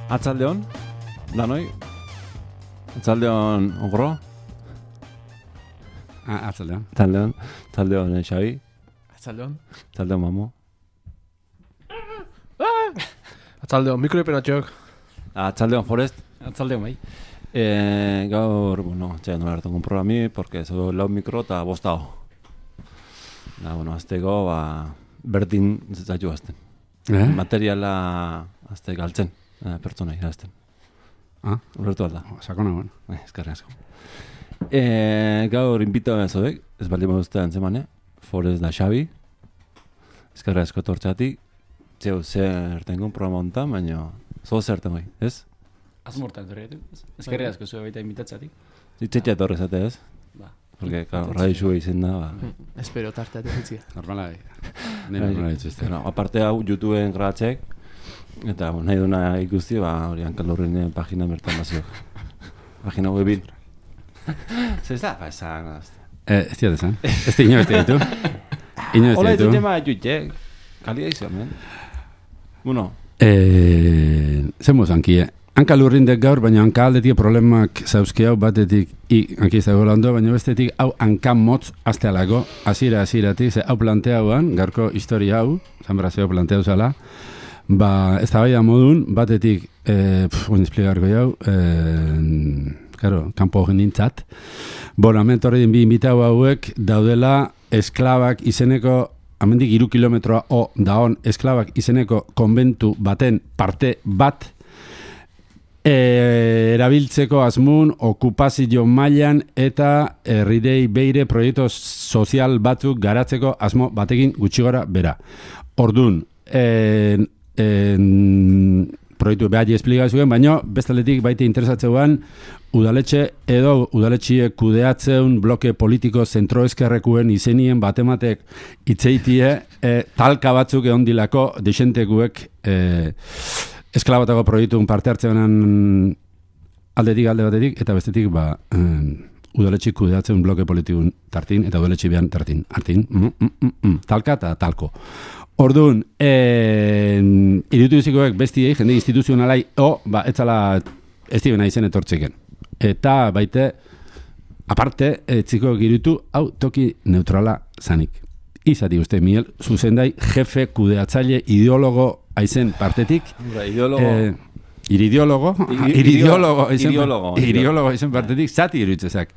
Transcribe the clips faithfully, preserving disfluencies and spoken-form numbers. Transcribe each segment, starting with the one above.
Atzaldeon, danoi. Atzaldeon, ogro. Ah, atzaldeon. Atzaldeon, atzaldeon, Xabi. Atzaldeon. Atzaldeon, Mamo. Atzaldeon, mikroepenatxok. Atzaldeon, Forest. Atzaldeon, bai. Eh, gaur, bueno, txea, nola hartu programi, porque zo lau mikro eta bostao. Da, bueno, azteko, ba, berdin zaitu azten. Eh? Materiala azte galtzen, eh, pertsona irazten. Ah, Ulertu alda. sakona, bueno. Eh, eskarri asko. Eh, gaur inbita bezodek, ez baldin baduzte antzemane, Forest da Xabi. Eskarri asko tortxatik, zeu zer tengon programa hontan, baina zo zer tengo, ez? Azmortan torretu. Eskerri asko zuen baita inbitatzatik. Zitzetxea etorri zate, ez? Ba. Porque, claro, radixu izen da, ba. Espero tarteat egitzia. Normala, bai. Ne normala dituzte. Bueno, aparte hau, YouTubeen grabatzek, eta bueno, nahi duna ikusti, ba, hori Hankalurrinen pagina bertan baziok. Pagina webin. Zer da, ba, esan, Eh, ez diat esan. Ez di ino ez ditu. Ino ez hola, ez ditu. tema jutxek. Kalia izan, men. Bueno. Eh, zen mozankie. Hanka lurrindek gaur, baina hanka aldetik problemak zauzki hau batetik i, hanki ez dago lando, baina bestetik hau hanka motz aztealako, azira aziratik, ze hau planteauan, gaurko historia hau, zanbrazio planteau zala, ba, ez da bai da modun, batetik, eh, pff, espligarko jau, eh, claro, kanpo genintzat, bueno, hemen torri din bi inbitau hauek daudela esklabak izeneko, amendik iru kilometroa o daon esklabak izeneko konbentu baten parte bat, E, erabiltzeko asmun okupazio mailan eta herridei beire proiektu sozial batzuk garatzeko asmo batekin gutxi gora bera. Ordun, en, en, proiektu behar esplikazioen, baina bestaletik baite interesatzeuan udaletxe edo udaletxiek kudeatzeun bloke politiko zentroeskerrekuen izenien batematek itzeitie e, talka batzuk egon dilako desentekuek e, esklabatako proiektun parte hartzean aldetik alde batetik, eta bestetik ba, um, udaletxik kudeatzen bloke politikun tartin, eta udaletxik behan tartin, hartin, mm, mm, mm, mm, talka eta talko. Orduan, eh, irutu izikoek bestiei, jende instituzionalai, o, ba, etzala ez dibena izen etortziken. Eta baite, aparte, etzikoek irutu, hau toki neutrala zanik. Izati uste, Miguel, zuzendai, jefe, kudeatzaile, ideologo, aizen partetik. Ideologo. Eh, irideologo. Irideologo. Irideologo aizen partetik. Zati iruitzezak.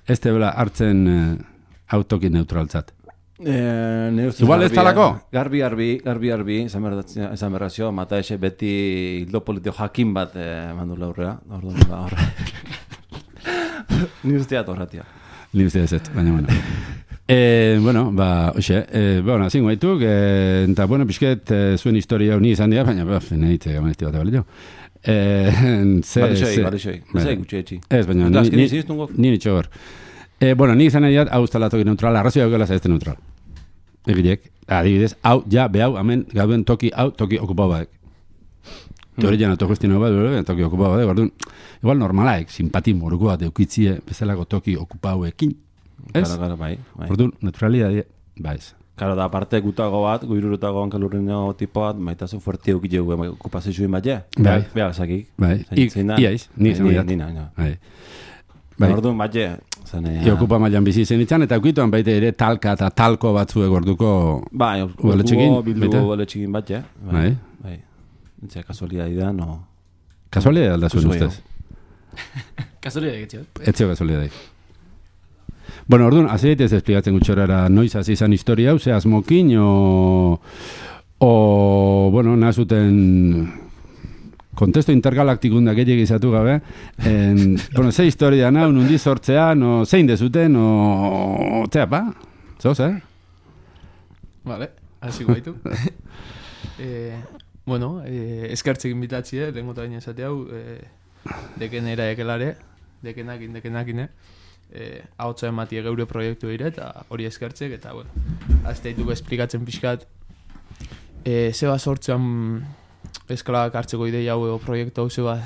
Ez tebela hartzen eh, autoki neutraltzat. Eh, Igual ez talako? Garbi, garbi, garbi, garbi, esan berrazio, mata ese beti hildo politiko jakin bat eh, mandu laurrea. Orduan, ba, horre. Ni usteat horretia. Ni usteat ez, baina, bueno. Eh, bueno, ba, oxe, eh, bueno, zingo haituk, eh, eta, bueno, pixket, eh, zuen historia hau ni izan dira, baina, baf, nahitze gamanezti bat ebalio. Eh, ze, Barixoi, ze, barixoi, ez gutxe etxi. Ez, baina, ni, ni, ni nitxo hor. Eh, bueno, ni izan nahi hau ustala toki neutral, arrazoi hau gela zaizte neutral. Egilek, adibidez, hau, ja, behau, hemen, gauden toki, hau, toki okupau badek. Teori jana autogestio bat, toki okupau badek, orduan, igual normalaek, simpati moruko bat eukitzie, bezalako toki okupauekin. Ez? Claro, claro, bai, bai. Orduan, neutralidade, baiz. Claro, da aparte gutago bat, guirurutago Hankalurrino tipo bat, maitazu fuerte eukitze gu, okupazioen bat, ja? Bai. Beha, zakik. Bai, iaiz, ni izan dira. Nina, nina. Bai. Bai. Orduan bat, ja. I okupa mailan bizi zen itzan, eta ukituan baita ere talka eta talko batzuek orduko bai, udaletxekin. Bildu udaletxekin bat, ja. Bai. Bai. Entzia, kasualidadea, no... Kasualidadea alda zuen ustez? Kasualidadea getxio. Etzio kasualidadea. Bueno, orduan, azeit ez esplikatzen gutxorara noiz hasi izan historia hau, ze asmokin, o, o bueno, nazuten kontesto intergalaktikun da gehiagik izatu gabe, en, bueno, ze historia nahu, nundi sortzea, no, zein dezuten, o, zea, pa, zoz, eh? Vale, hasi guaitu. eh, bueno, eh, eskertzek inbitatzie, lehenko eta baina esate hau, eh, deken era ekelare, dekenakin, dekenakin, eh, hau txaen matie geure proiektu ere, eta hori eskertzek, eta, bueno, azteituko esplikatzen pixkat, eh, zeba sortzean eskalak hartzeko ideia hau proiektu hau zeba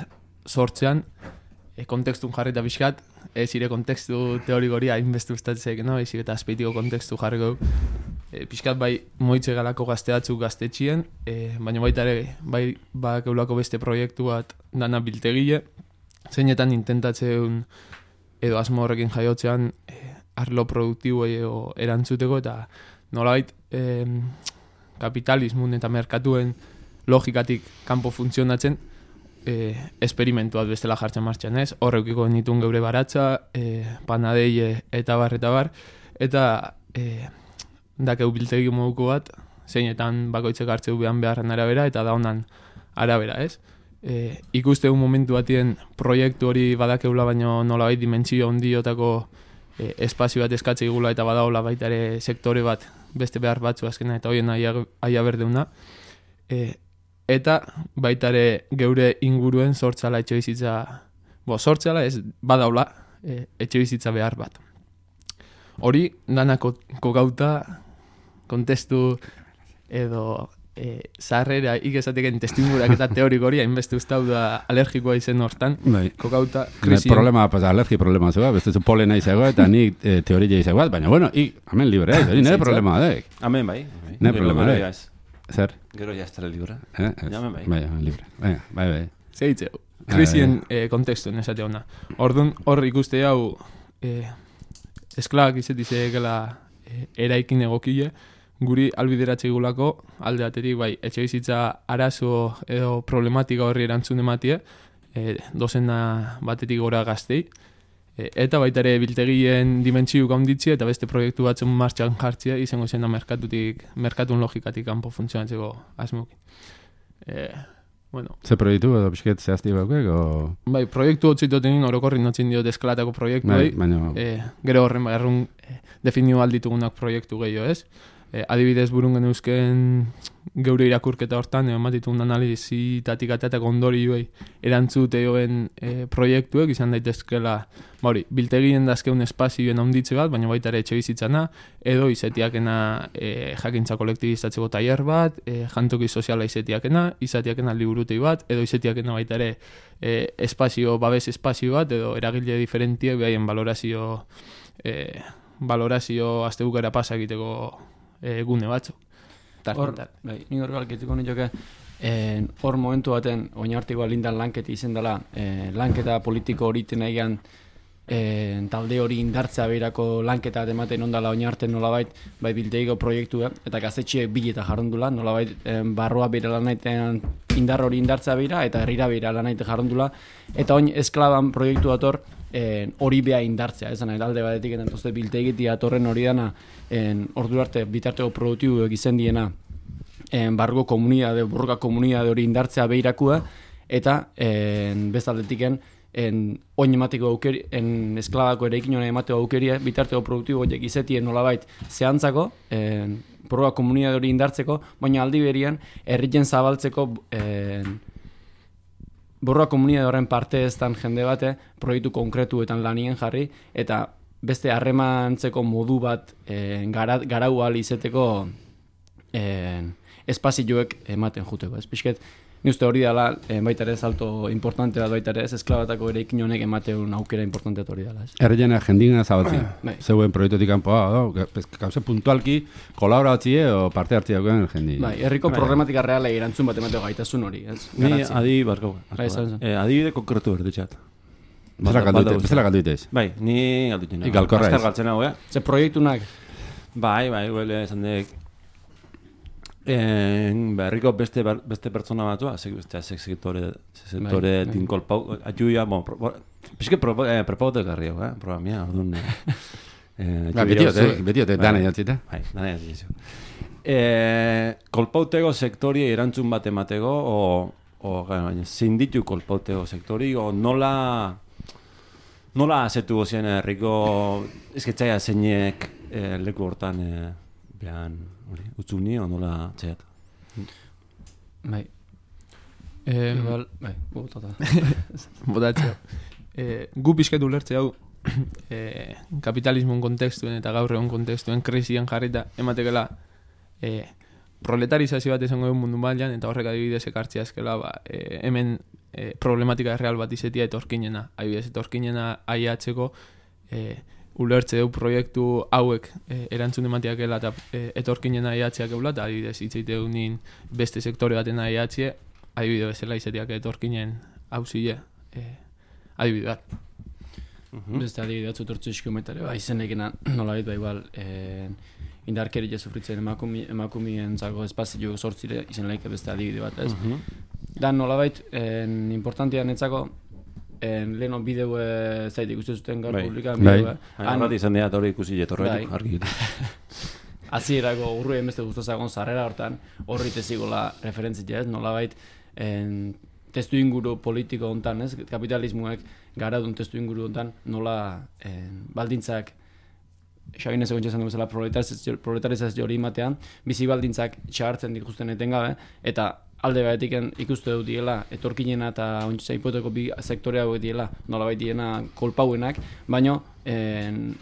sortzean, e, kontekstun jarrita pixkat, ez ire kontekstu teorikoria hainbeste ustatzek, no? Ezik eta azpeitiko kontekstu jarriko e, pixkat bai moitze galako gazteatzuk gaztetxien, e, baina baita ere bai bak eulako beste proiektu bat dana biltegile, zeinetan intentatzeun edo asmo horrekin jaiotzean e, arlo produktiboei erantzuteko eta nolabait e, kapitalismun eta merkatuen logikatik kanpo funtzionatzen e, esperimentu bat bestela jartzen martxan, ez? Horrekiko nituen geure baratza, e, panadeie eta bar, eta bar, eta e, dakeu biltegi moduko bat, zeinetan bakoitzek hartzeu behan beharren arabera, eta da honan arabera, ez? E, ikuste un momentu batien proiektu hori badakeula, baino nolabait dimentsio hondiotako e, espazio bat eskatze igula eta badaola baita ere sektore bat beste behar batzu azkena eta hoien aia, aia berdeuna. E, eta baita ere geure inguruen sortzala etxe bizitza, bo, sortzala ez badaola e, etxe bizitza behar bat. Hori danako kokauta kontestu edo e, zarrera ikesateken testimurak eta teoriko hori hainbeste ustau da alergikoa izen hortan, bai. kokauta krisien. Problema, pues, alergi problema zegoa, beste zu polena izagoa, eta ni e, teoria izagoa, baina bueno, i, hemen libre, hori nire problema da. Hemen bai. Nire problema da. Zer? Gero ja estara libre. Eh? Hemen bai. Bai, libre. Bai, bai, bai. Zeitzeu, krisien e, kontekstuen esate hona. Orduan, hor ikuste hau e, esklabak izetizekela e, eraikin egokile, guri albideratze igulako alde batetik bai etxe bizitza arazo edo problematika horri erantzun ematie, e, dozena batetik gora gaztei, e, eta baita ere biltegien dimentsiuk handitzea eta beste proiektu batzen martxan jartzea izango zen da merkatutik, merkatun logikatik kanpo funtzionatzeko asmokin. E, bueno. Ze proiektu edo pixket zehazti baukek, o... Bai, proiektu hotzitotenin orokorri notzin diot eskalatako proiektu bai, baina... e, gero horren bagarrun e, definio alditugunak proiektu gehiago ez. E, adibidez burun geneuzken geure irakurketa hortan, egon batitun analizitatik ateatako ondorioei erantzute joen e, proiektuek izan daitezkela, bauri, biltegien dazkeun espazioen handitze bat, baina baita ere etxe bizitzana, edo izetiakena e, jakintza kolektibizatzeko tailer bat, e, jantoki soziala izetiakena, izetiakena liburutei bat, edo izetiakena baita ere e, espazio, babes espazio bat, edo eragile diferentiek behaien valorazio, e, valorazio astebukera pasa egiteko E, gune batzu. Hor, bai, ni hor galkituko nioke, hor momentu baten, oinartikoa lindan lanketi izen dela, e, lanketa politiko horiten egan e, talde hori indartzea beirako lanketa ematen ondala oinarten nolabait, bai bilteiko proiektua, eta gaztetxiek bileta jarrondula, nolabait e, barroa beira lanaiten indar hori indartzea beira, eta herrira beira lanaiten jarrondula, eta oin esklaban proiektu dator, hori beha indartzea, ezan, alde batetik, eta entozte biltegiti atorren hori dana, ordu arte bitarteko produktibo egizien diena, barruko komunidade, borroka komunidade hori indartzea behirakua, eta bezaldetiken, oin emateko aukeri, esklabako erekin hori emateko aukeria, bitarteko produktibo horiek izetien nolabait zehantzako, borroka komunidade hori indartzeko, baina aldi berian, herrien zabaltzeko, borroa komunidade horren parte eztan jende bate, proiektu konkretuetan lanien jarri, eta beste harremantzeko modu bat e, gara, garau ahal izeteko e, espazioek ematen juteko. Ez pixket, ni uste hori dela, e, baita ere salto importante bat baita ere, ez esklabatako ere ikin honek ematen aukera importante hori dela. Errena jendina zabatzi, zeuen proiektutik kanpoa, gauze puntualki kolaboratzie o parte hartzia duen jendi. Bai, herriko problematika reala erantzun bat emateko gaitasun hori, ez? Ni adi barko. Adibide konkretu berditxat. Bezala galdu ditez? Bai, ni galdu ditena. Galkorra ez. Galtzen hau, eh? Ze proiektunak? Bai, bai, huele esan dek. Berriko beste beste pertsona batua, beste sektore sektore tinkolpau, ajuia, bon, pixke prepaute garri hau, eh? Programia, orduan. Betiote, betiote, dana jantzita. Bai, dana jantzita. Kolpautego sektori erantzun bat emateko, o zein ditu kolpautego sektori, o nola nola azetu gozien herriko esketzaia zeinek leku hortan behan utzuni, o nola txeat? Bai. Igual, bai, botata. Botatxeo. Gu pixketu lertze hau, kapitalismoen kontekstuen eta gaur egon kontekstuen krisian jarrita ematekela proletarizazio bat esango duen mundu mailan eta horrek adibidez ekartzea eskela ba, e, hemen e, problematika real bat izetia etorkinena, adibidez etorkinena aiatzeko e, ulertze du proiektu hauek e, erantzun ematiakela eta e, etorkinen aiatziak eula, eta adibidez hitzeite unin beste sektore baten aiatzie, adibide bezala izatiak etorkinen hauzile e, adibide bat. Uh-huh. Beste adibide batzu tortzu iskometare, ba, izenekena nola ba igual e, indarkeria sufritzen emakumi, emakumien zago espazio sortzire izen laike beste adibide bat, ez? Uh-huh. Dan nolabait, en, importantia netzako, en, leheno bideu e, zaite ikusten zuten gaur publikan bideu. Bat izan dira, hori ikusi jetorretik, argi. Azierako urruen beste guztozagon zarrera hortan, horri tezigola referentzia ez, nolabait, en, testu inguru politiko hontan, ez? Kapitalismoek garadun testu inguru hontan, nola en, baldintzak Xabinez egon txesan duzela proletarizazio hori imatean, bizi baldintzak txagartzen dituzten etengabe, eta alde batetik ikuste dut diela, etorkinena eta ontsa hipoteko bi sektore hauek diela, nolabait diena kolpauenak, baino en,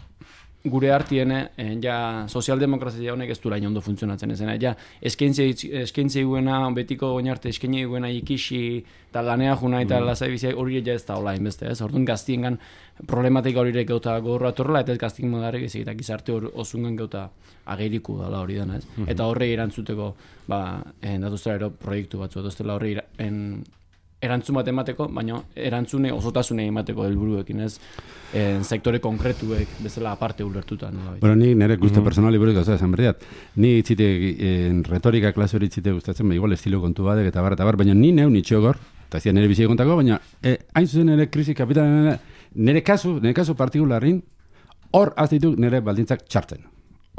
gure artiene en, ja sozialdemokrazia honek ez dura ondo funtzionatzen ezena, ja eskaintze guena, betiko oinarte eskaini guena ikisi eta lanea juna eta mm. lasai bizia hori ja ez da hola inbeste, ez? Orduan gaztiengan problematika horiek gauta gorra torrela eta ez gaztien modarek ez eta gizarte hor osungan gauta ageriku dela hori dena, ez? Mm-hmm. Eta horre erantzuteko ba, datuztera ero proiektu batzu, datuztela horre en, erantzun bat emateko, baina erantzune osotasune emateko helburuekin, ez? En sektore konkretuek bezala aparte ulertuta. No? Bueno, ni nire guste mm-hmm. personali buruz gauza esan berdiat. Ni itzite, en retorika klase hori itzite gustatzen, ba, igual estilo kontu badek eta bar, eta bar, baina ni neu nitxogor, eta zian nire bizi kontako, baina eh, hain zuzen nire krisi kapitalen, nire kasu, nire kasu partikularrin, hor aztitu nire baldintzak txartzen.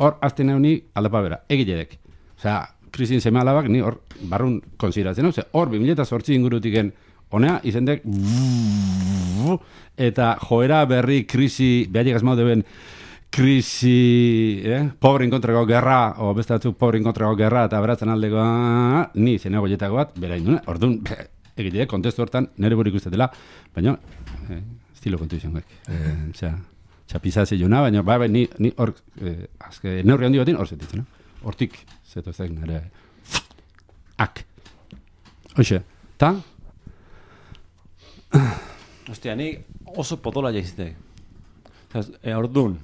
Hor azte neu ni aldapa bera, egiledek. Osea, krisin seme alabak ni hor barrun konsideratzen, ose, hor bi mila zortzi ingurutiken honea izendek eta joera berri krisi, behar maude ben krisi, eh? Pobrin kontrako gerra, o beste batzuk pobrin kontrako gerra eta beratzen aldeko, ni zenego jetako bat, bera indune, orduan, egitide, kontestu hortan, nire burik ustetela, baina, eh, estilo kontu izan gek. Eh, osea, txapizazio jona, baina, bai, bai, ni, ni hor, eh, azke, neurri handi batin, hor zetitzen, no? Hortik, zeto ez da, nire, ak. Hoxe, ta? Ostia, ni oso potola jaizite. E, orduan,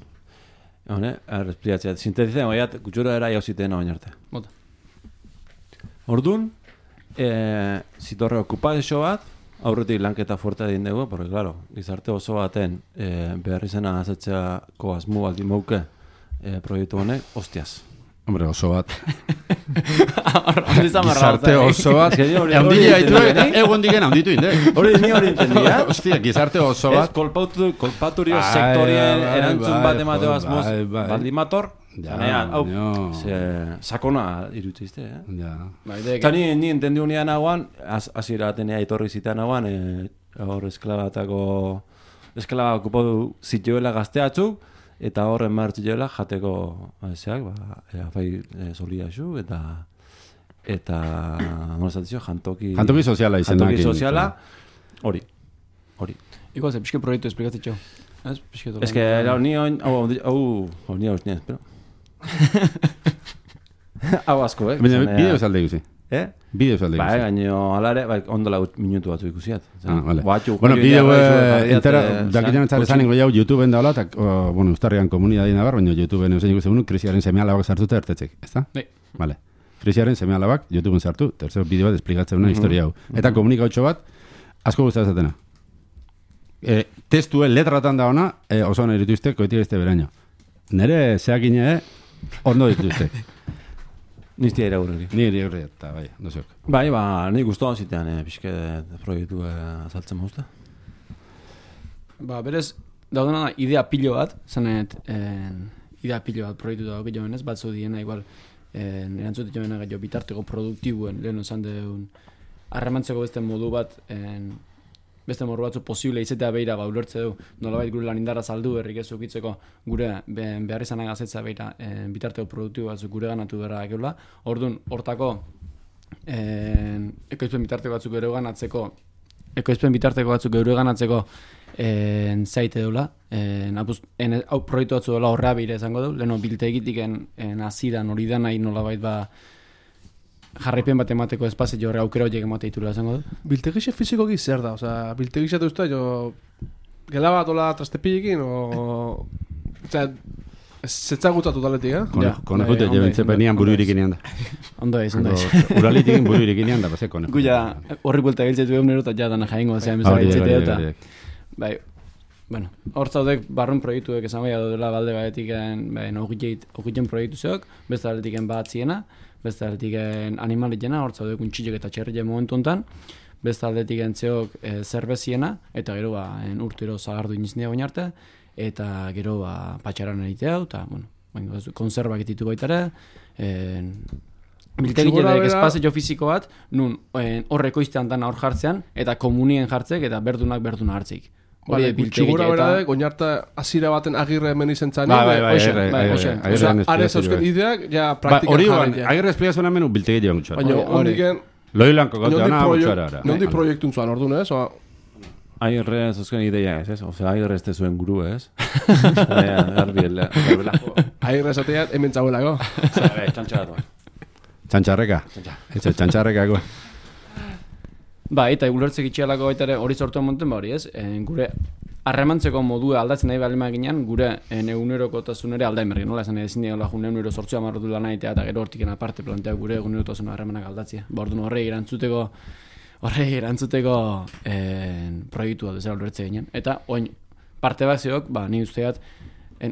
hone, errespliatzea, sintetitzen, oiat, gutxura era jauziten oin arte. Bota. Orduan, e, zitorre okupazio bat, aurretik lanketa fuerte egin dugu, porque, claro, gizarte oso baten e, behar izena azetzeako asmu baldin mauke e, proiektu honek, hostiaz. Hombre, oso bat. Gizarte oso bat. Eundile haitu eta egon digen haunditu inde. Hori ni hori entendia. Hostia, gizarte oso bat. Ez kolpaturio sektorien erantzun bat emateo asmoz. Baldin mator. Zanean, hau, sakona irutizte, eh? Eta ni, ni entendiu nian hauan, azira atenea etorri zitan hauan, hor esklabatako, esklaba okupatu zituela gazteatzuk, eta horren martzilela jateko ezeak, ba, afai e, solia zu, eta eta monestazio, jantoki jantoki soziala izenak jantoki soziala, hori, hori. Iko, ze, pixke proiektu esplikatzitxo. Ez que, ni hau, hau, hau, ni hau, ni hau, hau asko, eh? Baina, bideo salde ikusi. Eh? Bideo salde ikusi. Bai, gaino, alare, bai, ondo lau minutu batzu ikusiat. Ah, vale. Batxu, bueno, bideo, entera, dakitan etzare zanen goiau YouTubeen daula, eta, bueno, ustarrian komunidadien dabar, baina YouTubeen eusen ikusi bunu, krisiaren seme alabak sartuta ertetzek, ez da? Bai. Vale. Krisiaren seme alabak YouTubeen sartu, tercero bideo bat esplikatzen una historia hau. Eta komunikautxo bat, asko guztatzatena. E, testue letratan da ona, e, oso hona irituzte, koetik este beraino. Nere zeakine, ondo dituzte. Niztia iraurri. Ni iraurri eta, bai, dozok. Bai, ba, nik guztuan zitean, eh, pixke proiektu eh, azaltzen mauzta. Ba, berez, daudena idea pilo bat, zanet, eh, idea pilo bat proiektu dago gero benez, batzu diena, igual, eh, erantzute joena gero bitarteko produktibuen, lehen osan deun, harremantzeko beste modu bat, eh, beste modu batzu posible izatea behira ba ulertze du, nolabait gure lan indarra saldu berrik ez ukitzeko gure behar izanak azetza behira e, bitarteko produktibo batzuk gure ganatu berra ekeula. Orduan, hortako e, ekoizpen bitarteko batzuk gure ganatzeko ekoizpen bitarteko batzuk gure ganatzeko e, zaite deula. E, hau proiektu batzu dela horrea behira izango du, leheno biltegitik aziran hori da nahi nolabait ba jarraipen bat emateko espazio horre aukera horiek emate ditura izango du? Biltegixe fizikoki zer da? Osa, biltegixe duzta, jo, gela bat ola trastepillekin, o Osea, zetzagutza totaletik, eh? Konekute, jebentze penian buru irikinean da. Ondo ez, ondo ez. Uralitikin buru irikinean da, base konekute. Guia, horri buelta giltzetu egun nero, eta ja dana jaingo, zean bezala giltzetea, eta... Bai, bueno, hor zaudek barrun proiektuek esan bai dela balde baetiken, bai, ogiten proiektu zeok, beste aletiken batziena, beste aletiken animalitena, hor zaudek untxilek eta txerrile momentu hontan, beste aldetiken zeok e, zerbeziena, eta gero ba, urtero zagardu iniznia bain arte, eta gero ba, patxaran egitea, eta, bueno, konservak ititu baitare, biltegitedek espazio fisiko bat, nun horreko iztean dana hor jartzean, eta komunien jartzek, eta berdunak berduna hartzik. Vale, gutxigura beradek, oinarta azira baten agirre hemen izen zan. Bai, bai, bai, agirre. Are zauzken ideak, ja praktikan jarren. Hori, agirre esplikazioan hemen biltegi joan gutxara. Baina, hondiken... Loilanko gautea, na, gutxara. Nondi proiektun zuan, orduan, ez? Agirre zauzken ideia ez, ez? Ose, agirre ez zuen guru, ez? Agirre esatean, hemen txabuelako. Txantxaratu. Txantxarreka. Txantxarreka. Ba, eta ulertzek itxialako baita ere hori sortu monten ba hori ez, e, gure harremantzeko modua aldatzen nahi balima ginean, gure egunerokotasun ere aldain berri, nola esan ezin dira joan egunero sortzua marrotu lan egitea eta gero hortiken aparte plantea gure egunerotasun harremanak aldatzea. Ba, orduan horrei erantzuteko, horrei erantzuteko e, proiektua bezala ulertzek ginean. Eta, oin, parte bat zeok, ba, ni usteat,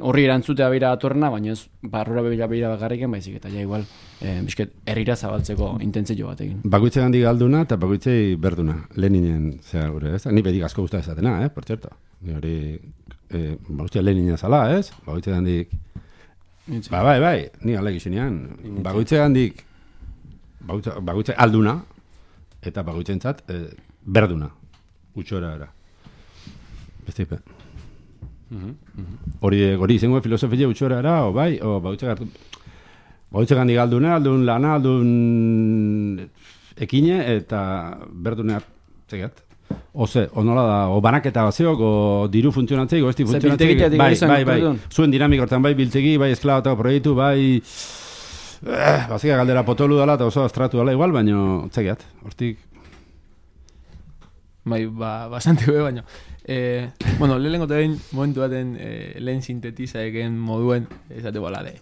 horri erantzutea beira atorrena, baina ez barrura beira beira bakarriken, baizik, eta ja igual, eh, bisket, herrira zabaltzeko intentzio bat egin. Bakoitze gandik galduna eta bakoitzei berduna, Leninen, zera gure, ez? Ni bedik asko guztat ezatena, eh, por cierto. Ni hori, eh, bakoitzea Leninen zala, ez? Bakoitze gandik, ba, bai, bai, ni alek izinean, bakoitze gandik, bakoitze alduna, eta bakoitze entzat, eh, berduna, utxora era. Beste ipe. Hori hori izango filosofia utxora era, o bai, o bautxe gartu bautxe gandik alduna, aldun lana, aldun ekine eta berdune hartzegat. Oze, onola da, o banaketa bazeok, o diru funtzionatzei, o esti funtzionatzei. Bai, bai, bai, zuen dinamik hortan bai biltegi, bai esklabatako proiektu, bai eh, bazika galdera potolu dala eta oso astratu dala igual, baino txegiat, hortik. Bai, ba, bastante be, baino. Eh, bueno, lehenko tebein momentu baten eh, lehen sintetiza egen moduen, esate balade,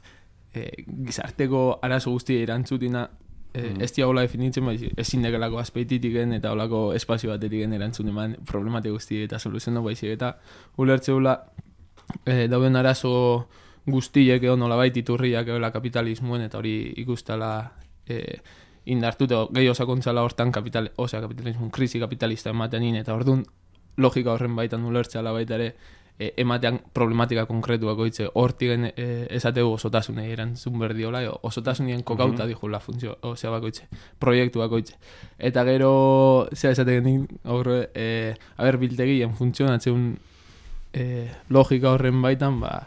eh, gizarteko arazo guztia irantzutina, eh, mm. ez diagola definitzen, bai, ezin dekelako azpeititiken eta olako espazio batetiken erantzun eman problematik guztia eta soluziono baizik eta ulertzeula eh, dauden arazo guztiek edo nolabait iturriak edo kapitalismoen eta hori ikustala eh, indartuta gehi osakontzala hortan kapital, osea kapitalismo krisi kapitalista ematen in eta orduan logika horren baitan ulertzala baita ere e, ematean problematika konkretuak oitze hortigen e, esategu osotasunei erantzun berdiola osotasunien kokauta mm-hmm. dijula funtzio osea bakoitze proiektu bakoitze eta gero zea esategen horre e, aber biltegien funtzionatzen e, logika horren baitan ba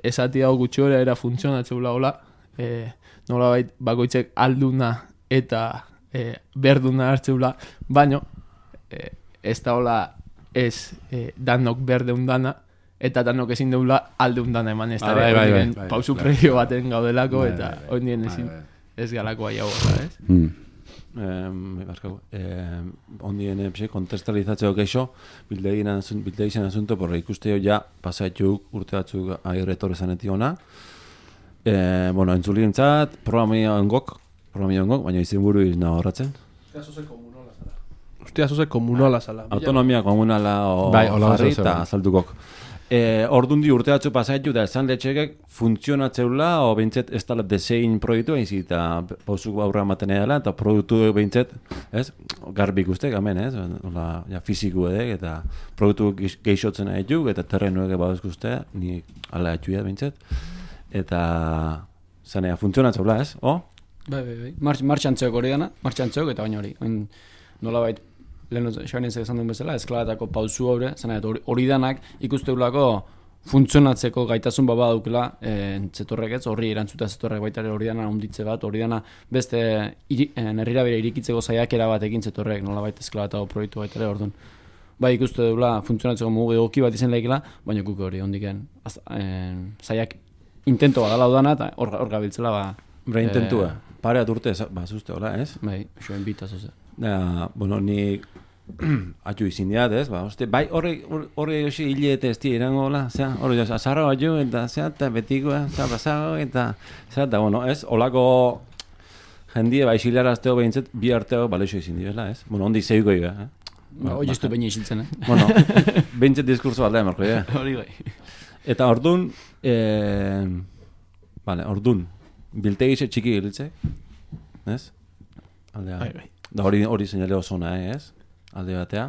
esatia hau gutxora era funtzionatzeula hola e, nolabait bakoitzek alduna eta e, berduna hartzeula baino e, ez da hola ez eh, danok berdeun dana eta danok ezin deula aldeun dana eman ez da bai, bai, bai, bai, pausu bai, previo baten gaudelako bai, eta bai, bai, ondien ezin bai, bai. ez galako aia horra, ez? Mm. Eh, eh, ondien eh, kontestalizatzeo keixo biltegin asunto porra ikusteo ja pasaituk urte batzuk agirretor esanetik ona eh, bueno, entzulientzat programia ongok programia ongok, baina izin buru izna horratzen Ostia, zoze komunala zala. Autonomia komunala o bai, jarri eta azaldukok. E, ordundi urte batzu pasaitu da esan letxekek funtzionatzeula o behintzet ez tala desein proiektu egin zita pausuk aurra ematen edala eta produktu behintzet, ez? Garbik ustek, amen, ez? Ola, ja, fiziku edek eta produktu geixotzen egituk eta terrenuek baduzku uste, ni ala etxuia behintzet. Eta zanea funtzionatzeula, ez? O? Bai, bai, bai. March, martxantzeok hori dana, martxantzeok eta baina hori. Nola bait, lehen xabenezak esan duen bezala, esklabatako pausu haure, zena, hori danak ikusteulako funtzionatzeko gaitasun baba daukela e, zetorrek ez, horri erantzuta zetorrek baita hori dana onditze bat, hori dana beste herrira bere irikitzeko saiakera bat egin zetorrek, nola baita esklabatako proiektu baita ere, orduan. Bai ikuste dula funtzionatzeko mugu egoki bat izen lehikela, baina guk hori ondiken saiak intento bat dala udana eta hor gabiltzela ba... Bra intentua, e, pare aturte ba zuzte, hola, ez? Bai, xoen bita zuze. Ja, bueno, ni atxu izin diat, ez, ba, oste, bai, horre, horre hoxe hilete ez dira irango, la, zera, horre joz, azarra bat jo, eta, zera, eta betikoa, zera, pasago, eta, zera, eta, bueno, ez, olako jendie, bai, xilarazteo behintzet, bi arteo, baleixo izin dira, ez, bueno, ondi zeiko iga, eh. Ba, hoi estu baina isiltzen, eh? Bueno, behintzet diskurso bat da, emarko, ja. Hori bai. Eta ordun, eh, vale, ordun, biltegixe txiki giltzek, ez? Aldea, Bai, bai. da hori hori seinale oso ona, ez? Alde batea,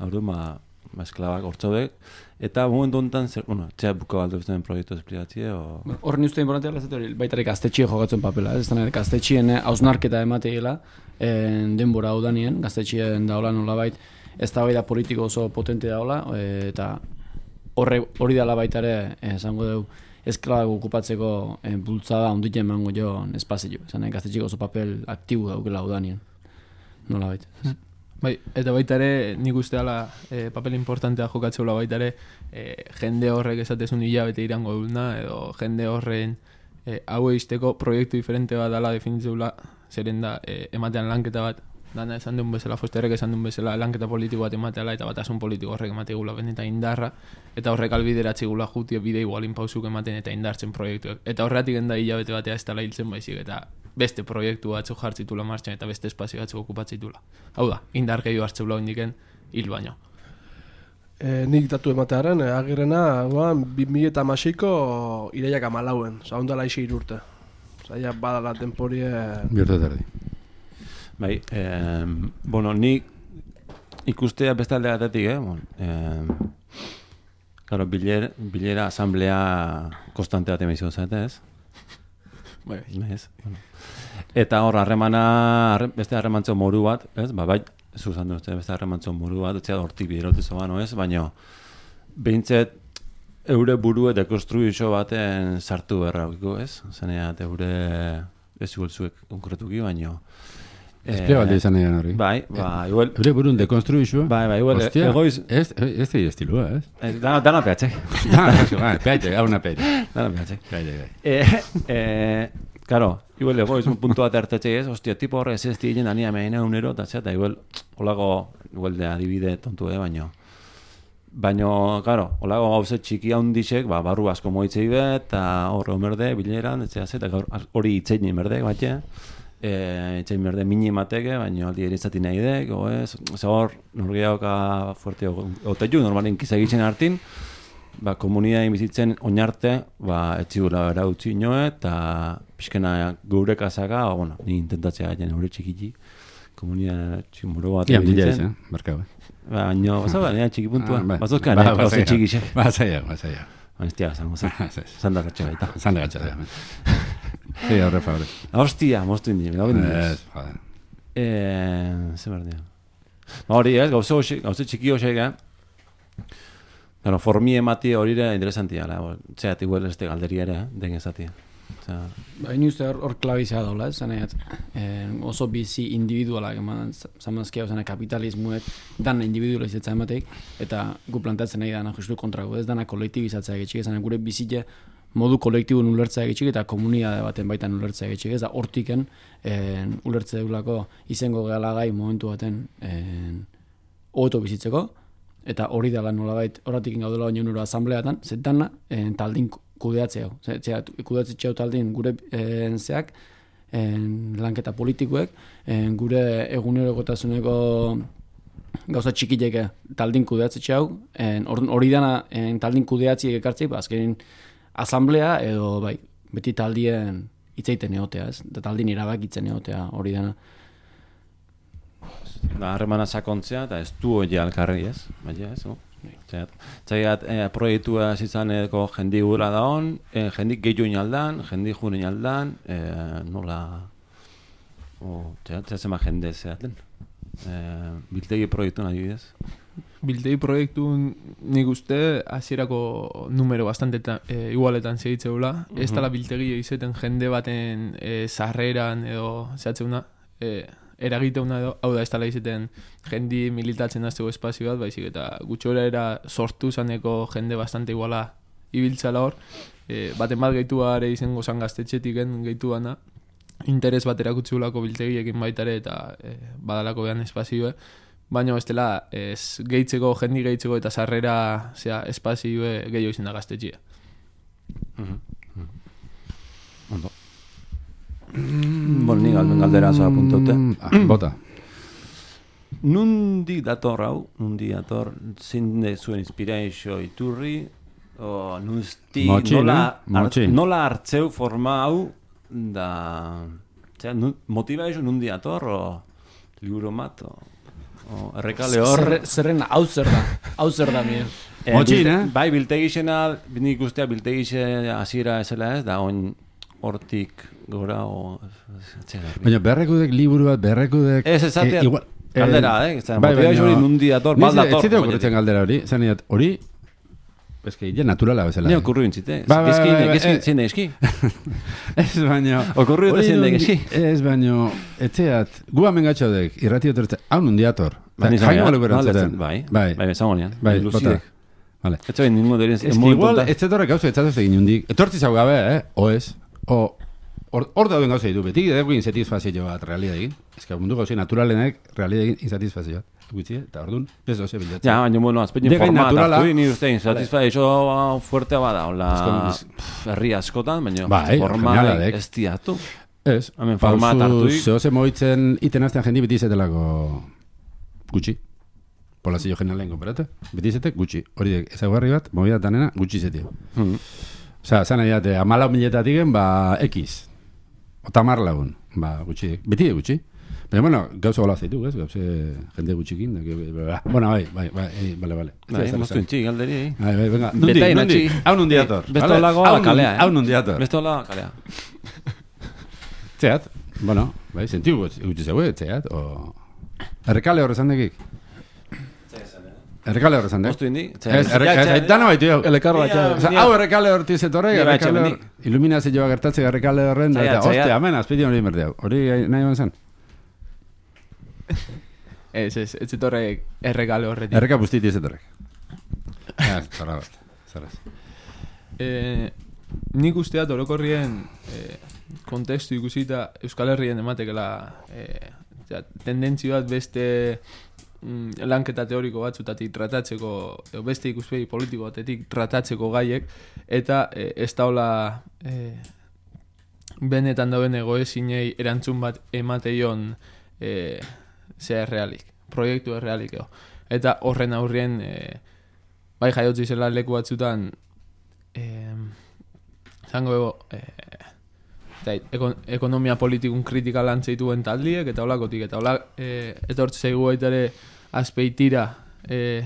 ordun, ba, ba esklabak hortzodek, eta momentu honetan, zer, bueno, txea buka balde ustean proiektu esplikatzie, o... Horren uste importantea lazet hori, baitarik gaztetxie jogatzen papela, ez da gaztetxien hausnarketa emateela, denbora hau danien, gaztetxien daola nolabait, ez da bai da politiko oso potente daola, eta horre hori dela baita ere, esango dugu, esklabak okupatzeko bultzada ondit emango jo espazio, esan gaztetxiko oso papel aktibo daukela hau danien, nolabait. Bai, eta baita ere, nik uste dela e, papel importantea jokatzeula baita ere, e, jende horrek esatezun hilabete irango duna, edo jende horren e, hau eisteko proiektu diferente bat dela definitzeula, zeren da, e, ematean lanketa bat, dana esan duen bezala, Fosterrek esan duen bezala, lanketa politiko bat emateala, eta batasun politiko horrek emategula benetan indarra, eta horrek albideratzi gula jutia bide igualin pausuk ematen eta indartzen proiektuek. Eta horretik enda hilabete batea ez dela hiltzen baizik, eta beste proiektu batzuk jartzitula martxan eta beste espazio batzuk okupatzitula. Hau da, indar gehiago hartzeula indiken hil baino. E, nik datu ematearen, e, agirrena, bi mila eta hamaseiko iraiak amalauen, oza, ondala ixe irurte. Oza, ja badala temporie... Bihurtu terdi. Bai, eh, bueno, nik ikustea beste alde batetik, eh? Bon, eh, claro, biler, bilera, asamblea konstante bat emizio zate, ez? Bai, Ez, bueno. Eta hor, harremana, harre, beste harremantzo moru bat, ez? Ba, bai, zuzan duzte, beste harremantzo moru bat, etzea hortik biderotu zoan, ez? Baina, behintzet, eure burue dekonstruizio baten sartu berraukiko, ez? Zaneat, eure ez igualzuek konkretuki, baina... Esplea balde izan egan hori. Bai, ba, igual... Eure burun dekonstruizua? Bai, bai, igual, Hostia, egoiz... Ez, ez da estilua, ez? Dana, dana peatxe. Dana peatxe, hau na peatxe. Dana peatxe. Peatxe, bai. Eh, eh, claro, igual egoiz un puntu bat hartatxe ez, hostia, tipo horre ez ez diren ania meina unero, eta zeta, igual, holago, igual de adibide tontu, eh, baino. Baino, claro, holago gauze txiki handixek, ba, barru asko moitzei bet, eta horre omerde, bileran, etzea zeta, hori itzein merde, batxe, eh, itzein merde mini mateke, baino aldi erizati nahi dek, o ez, ze hor, norgeaoka fuerte, otetu, normalen kizagitzen hartin, ba, komunitatean bizitzen oinarte, ba, etxigura bera utzi inoe, eta pixkena gure kasaka, ba, bueno, ni intentatzea gaiten eure txikiti, komunitatea tximuro bat Ian bizitzen. Eh? Barka, bai. Baina, baza, baina txiki puntua, Ah, bai. bazozka, Ba, nahi, ba, gauze zaila. txikixek. Ba, zaila, ba, zaila. Baina, zango zen, zanda gatxe baita. Zanda gatxa, ja. Sí, horre, favore. Hostia, moztu indi, gau bindi. Ez, joder. Eh, ze berdia. Ba, hori ez, gauze, hoxe- gauze txiki hoxek, eh? Claro, formi emati hori ere interesantia, la, txeat igual este galderia ere, eh? Den ezatia. Osea, Ba, ini uste hor, hor klabizea daula, ez zanaiat, eh, oso bizi individualak eman, zamazkia, ozena kapitalismuek dana individualizatza emateik, eta gu plantatzen nahi dana justu kontrako, ez dana kolektibizatzea getxik, ez gure bizile modu kolektibo ulertzea getxik, eta komunitate baten baitan ulertzea getxik, ez da hortiken eh, ulertze deulako izango gehalagai momentu baten eh, hobeto bizitzeko, eta hori dela nolabait, horretik gaudela baino nuro asambleatan, zetana, eh, taldin kudeatzea, zera, kudeatzea taldin gure eh, zeak, eh, lanketa politikoek, eh, gure egunerokotasuneko gauza txikileke taldin kudeatzea hau, eh, hori dana eh, taldin kudeatziek ekartzei, ba, azkenin asamblea edo bai, beti taldien hitzeiten egotea, ez? Da taldin erabakitzen egotea hori dana. da, harremana sakontzea, eta ez du hori alkarri, ez? Baina, ez, no? Zaiat, eh, proiektua zizaneko jendi gura da hon, eh, jendik gehiu inaldan, jendik jure inaldan, eh, nola... O, zaiat, zema jende zeaten. Eh, biltegi proiektu nahi bidez. Biltegi proiektu nik uste hasierako numero bastante ta, e, igualetan segitzeula. Ez dela biltegi izeten jende baten e, sarreran edo zehatzeuna, e, eragiteuna edo, hau da ez dela izeten jendi militatzen azteko espazio bat, baizik eta gutxora era sortu zaneko jende bastante iguala ibiltzala hor, e, baten bat gehitua ere izango zan gaztetxetiken gehituana, interes bat erakutzeulako biltegiekin baitare eta e, badalako behan espazioa, baina bestela ez gehitzeko, jendi gehitzeko eta sarrera zea, espazioe gehiago izin da gaztetxia. Ondo. Bon, ni galben galdera zoa puntaute. Bota. Nundi dator hau, nundi dator, zein de zuen inspirazio iturri, o nuzti, Motxin, nola, eh? Motxin. nola hartzeu forma hau, da, zera, nu, motivazio nundi dator, o liburu mat, o, o errekale hor. Zerre- Zerren hau zer da, hau zer da, Miguel. Eh, Motxin, bil- eh? Bai, biltegixena, nik ustea biltegixe hasiera ezela ez, da oin hortik gora, o, txera, Baina berrekudek liburu bat, berrekudek... Ez, esatea, eh, igual, galdera, eh? Zera, bai, motivazio baina- hori nundi dator, Ni bal ez- dator. Ez zite oinetik. okurritzen galdera hori, zan idat, hori, eske, ja naturala bezala. Ne okurru intzite. Ba, ba, Eski, ba, ba, eski, eh. zein da eski. Ez baino... Okurru eta hori zein da nundi- eski. Ez baino, etxeat, gu hemen gatxodek, irrati otortzen, hau nundi-ator. Ba, ni Jaino zan, balu berantzuten. Bai, bai, bai, esangonean. bai, bota. Lucidek. Vale. Ez zain ningu deren, Ez que igual, ez zetorrek gauza etzatuz egin hundik. Etortzi zau gabe, eh? O ez? O, hor hor dauden gauza ditu. Beti edeko insatisfazio bat realidad egin. Ez que mundu gauza naturalenek realidad egin insatisfazio bat. Gutxi, eta orduan, ez doze bilatzen. Ja, baina, bueno, azpein De gain format naturala. hartu, ni uste, insatisfazio fuertea bada, hola, Ez kon- pff, herri askotan, baina Bai, forma geniala dek. ez diatu. Ez, Hemen format hartu i- zehose moitzen iten azten jendi beti izetelako gutxi. Polazio generalen konperate, beti izetek gutxi. Hori ezaguarri bat, movida tanena, gutxi izetio. Hmm. Osa, zan nahi date, amalau miletatik ba, X. Otamar lagun, ba, gutxi. Beti de gutxi. Baina, bueno, gauza gola zeitu, ez? Gauze jende gutxikin. Da, que, bla, bueno, bai, bai, bai, bai, bale, bale. Bai, moztu intxik, galderi, eh? Bai, bai, venga. Nundi, Betain nundi. atxi. Hau nundi dator. Beste vale? holago Hau nun- kalea, eh? Hau nundi dator. Beste hola, kalea. Txeat, bueno, bai, sentiu gutxi zeue, txeat, o... Errekale horrezan dekik? Errekale horrezan dek? Moztu indi? Ez, errekale, dano baitu jau. Elekarra Ia, ja. Osa, hau errekale horti zetorrek, Ni bai, errekale hor... etxe, Iluminazioa gertatzek errekale horren, da, Txaiat, eta, txaiat. ostia, amen, azpiti hori berde hau. Hori nahi ban zen? Ez, ez, ez zetorrek erregale horretik. Erreka bustiti zetorrek. Ja, zarra bat, zarraz. Eh, nik usteat orokorrien eh, kontestu ikusita Euskal Herrien ematekela eh, ja, tendentzio bat beste mm, lanketa teoriko batzutatik tratatzeko, edo beste ikuspegi politiko batetik tratatzeko gaiek, eta eh, ez daula eh, benetan dauen egoezinei erantzun bat emateion eh, zea errealik, proiektu errealik eo. Eta horren aurrien eh, bai jaiotzi zela leku batzutan eh, zango ego eh, zait, ekon, ekonomia politikun kritika lantzeituen taldiek eta holakotik eta hola eh, etortze zaigu baita ere azpeitira eh,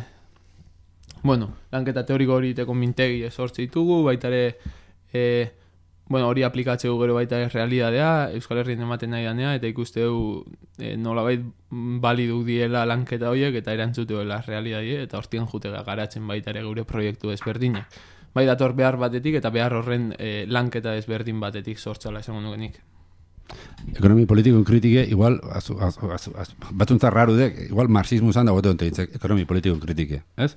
bueno, lanketa teoriko hori teko mintegi esortze ditugu baita ere eh, bueno, hori aplikatzeu gero baita ere realidadea, Euskal Herrien ematen nahi danea, eta ikusteu e, nolabait baliduk diela lanketa horiek, eta erantzuteoela realidadie, eta hortien jutega garatzen baita ere gure proiektu ezberdinak. Bai dator behar batetik, eta behar horren e, lanketa ezberdin batetik sortzala esango nukenik. Ekonomi politikun kritike, igual, azu, azu, azu, azu, batzuntza raru dek, igual marxismo zan da gote onteitzek, ekonomi politikun kritike, ez?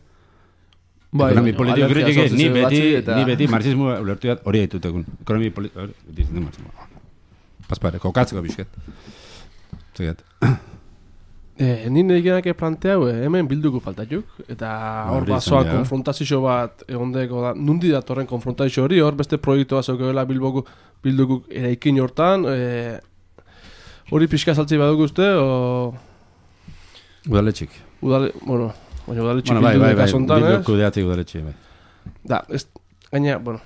Bai, Ekonomi baina, politiko alergia kritike, sortzen ni zuen beti, batzuei eta- ni beti marxismo ulertu dat hori haitutekun. Ekonomi politiko, beti zindu marxismo. Paspare, kokatzeko bisket. Zegat. Eh, ni negenak planteau, eh, hemen bilduko faltatuk, eta hor hori basoa izan dira. konfrontazio bat egondeko da, nundi datorren konfrontazio hori, hor beste proiektua zeukela bilboko bildukuk eraikin hortan, eh, hori pixka saltzi badugu uste, o... Udaletxik. Udale, bueno, baina udaletxik Bueno, bai, bildu bai, deka bai, zontan, bildu ez? kudeatzik udaletxik, bai. Da, ez, gaina, bueno,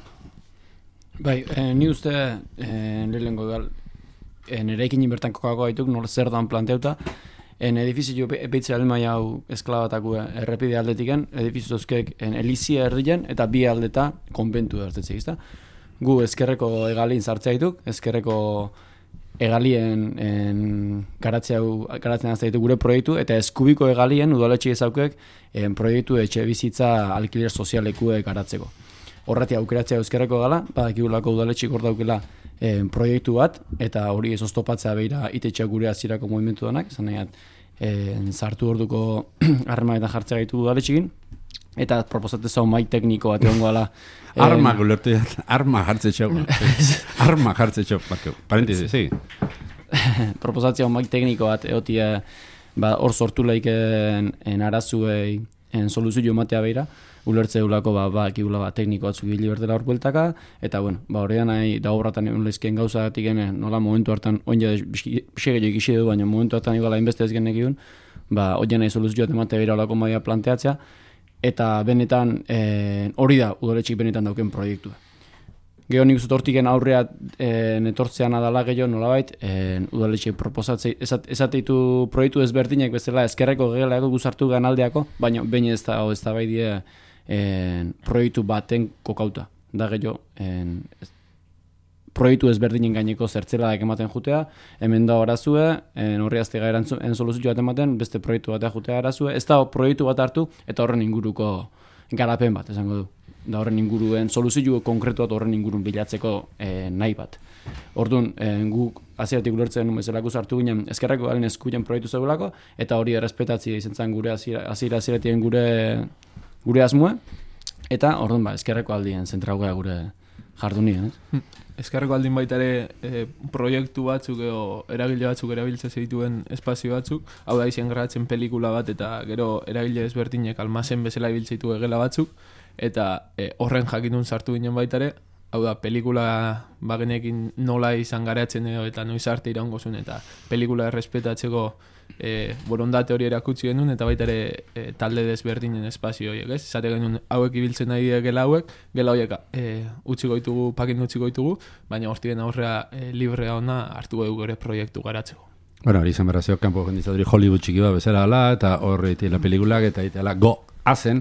Bai, eh, ni uste eh, lehenengo gal eh, nereikin bertan kokako gaituk nor zer dan planteuta en edifizio beitze almai hau esklabatako errepide aldetiken edifizio zozkek en elizia erdien eta bi aldeta konbentu hartetze izta. Gu ezkerreko egalin sartzea dituk, ezkerreko egalien en, garatzea garatzen hasta ditu gure proiektu eta eskubiko egalien udaletxe ezaukek en proiektu etxe bizitza alkiler sozialekue garatzeko. Horreti aukeratzea euskerreko gala, badakigulako udaletxik hor daukela eh, proiektu bat, eta hori ez oztopatzea beira itetxeak gure azirako movimentu danak, zan nahiat, eh, sartu orduko harremanetan jartzea gaitu udaletxikin, eta proposatez hau mai tekniko bat egon gala. Arma gulertu jat, arma jartze txau. Arma jartze txau, parentesi, sí. Proposatzea mai tekniko bat egotia ba, hor sortu laiken en arazuei en soluzio matea beira, ulertze eulako ba, ba, ekibula ba, tekniko batzuk hili berdela hor bueltaka, eta bueno, ba, horrean nahi da obratan egun lezken gauzatik ene, nola momentu hartan, oin jade pixegello ikisi du, baina momentu hartan iguala inbeste ez genek ba, oin nahi soluzioa temate beira olako maia planteatzea, eta benetan eh, hori da udaletxik benetan dauken proiektua. Gero nik uzut hortiken aurrea e, netortzean adala gehiago nolabait, e, udaletxe proposatzei, esat, esateitu proiektu ezberdinak bezala ezkerreko gehiago guzartu ganaldeako, baina baina ez da, ez da bai die e, proiektu baten kokauta. Da gehiago, e, proiektu ezberdinen gaineko zertzeladak ematen jutea, hemen da horazue, horri aztega erantzun soluzio bat ematen, beste proiektu batea jutea arazue, ez da proiektu bat hartu, eta horren inguruko garapen bat, esango du. Da horren inguruen soluzio konkretu bat horren ingurun bilatzeko e, nahi bat. Orduan, e, guk hasieratik ulertzen bezalako sartu ginen ezkerreko galen eskuien proiektu zegoelako, eta hori errespetatzi izan zen gure hasiera hasieratien gure gure asmoa, eta orduan ba, ezkerreko aldien zentragoa gure jardunien, ez? Ezkerreko aldin baita ere e, proiektu batzuk edo eragile batzuk erabiltzen zituen espazio batzuk, hau da izan gradatzen pelikula bat eta gero eragile ezberdinek almazen bezala ibiltzeitu egela batzuk, eta e, horren jakitun sartu ginen baita ere, hau da, pelikula bagenekin nola izan garatzen edo eta noiz arte iraungozun, eta pelikula errespetatzeko e, borondate hori erakutsi genuen, eta baita ere e, talde desberdinen espazio horiek, ez? Zate genuen hauek ibiltzen nahi gela hauek, gela horiek e, utziko ditugu, pakin utziko ditugu, baina hortien aurrea e, librea ona hartu dugu ere proiektu garatzeko. Bueno, hori izan berrazio, kanpo jenditzaduri Hollywood txiki bat bezala ala, eta horre itela pelikulak, eta itela go! Azen,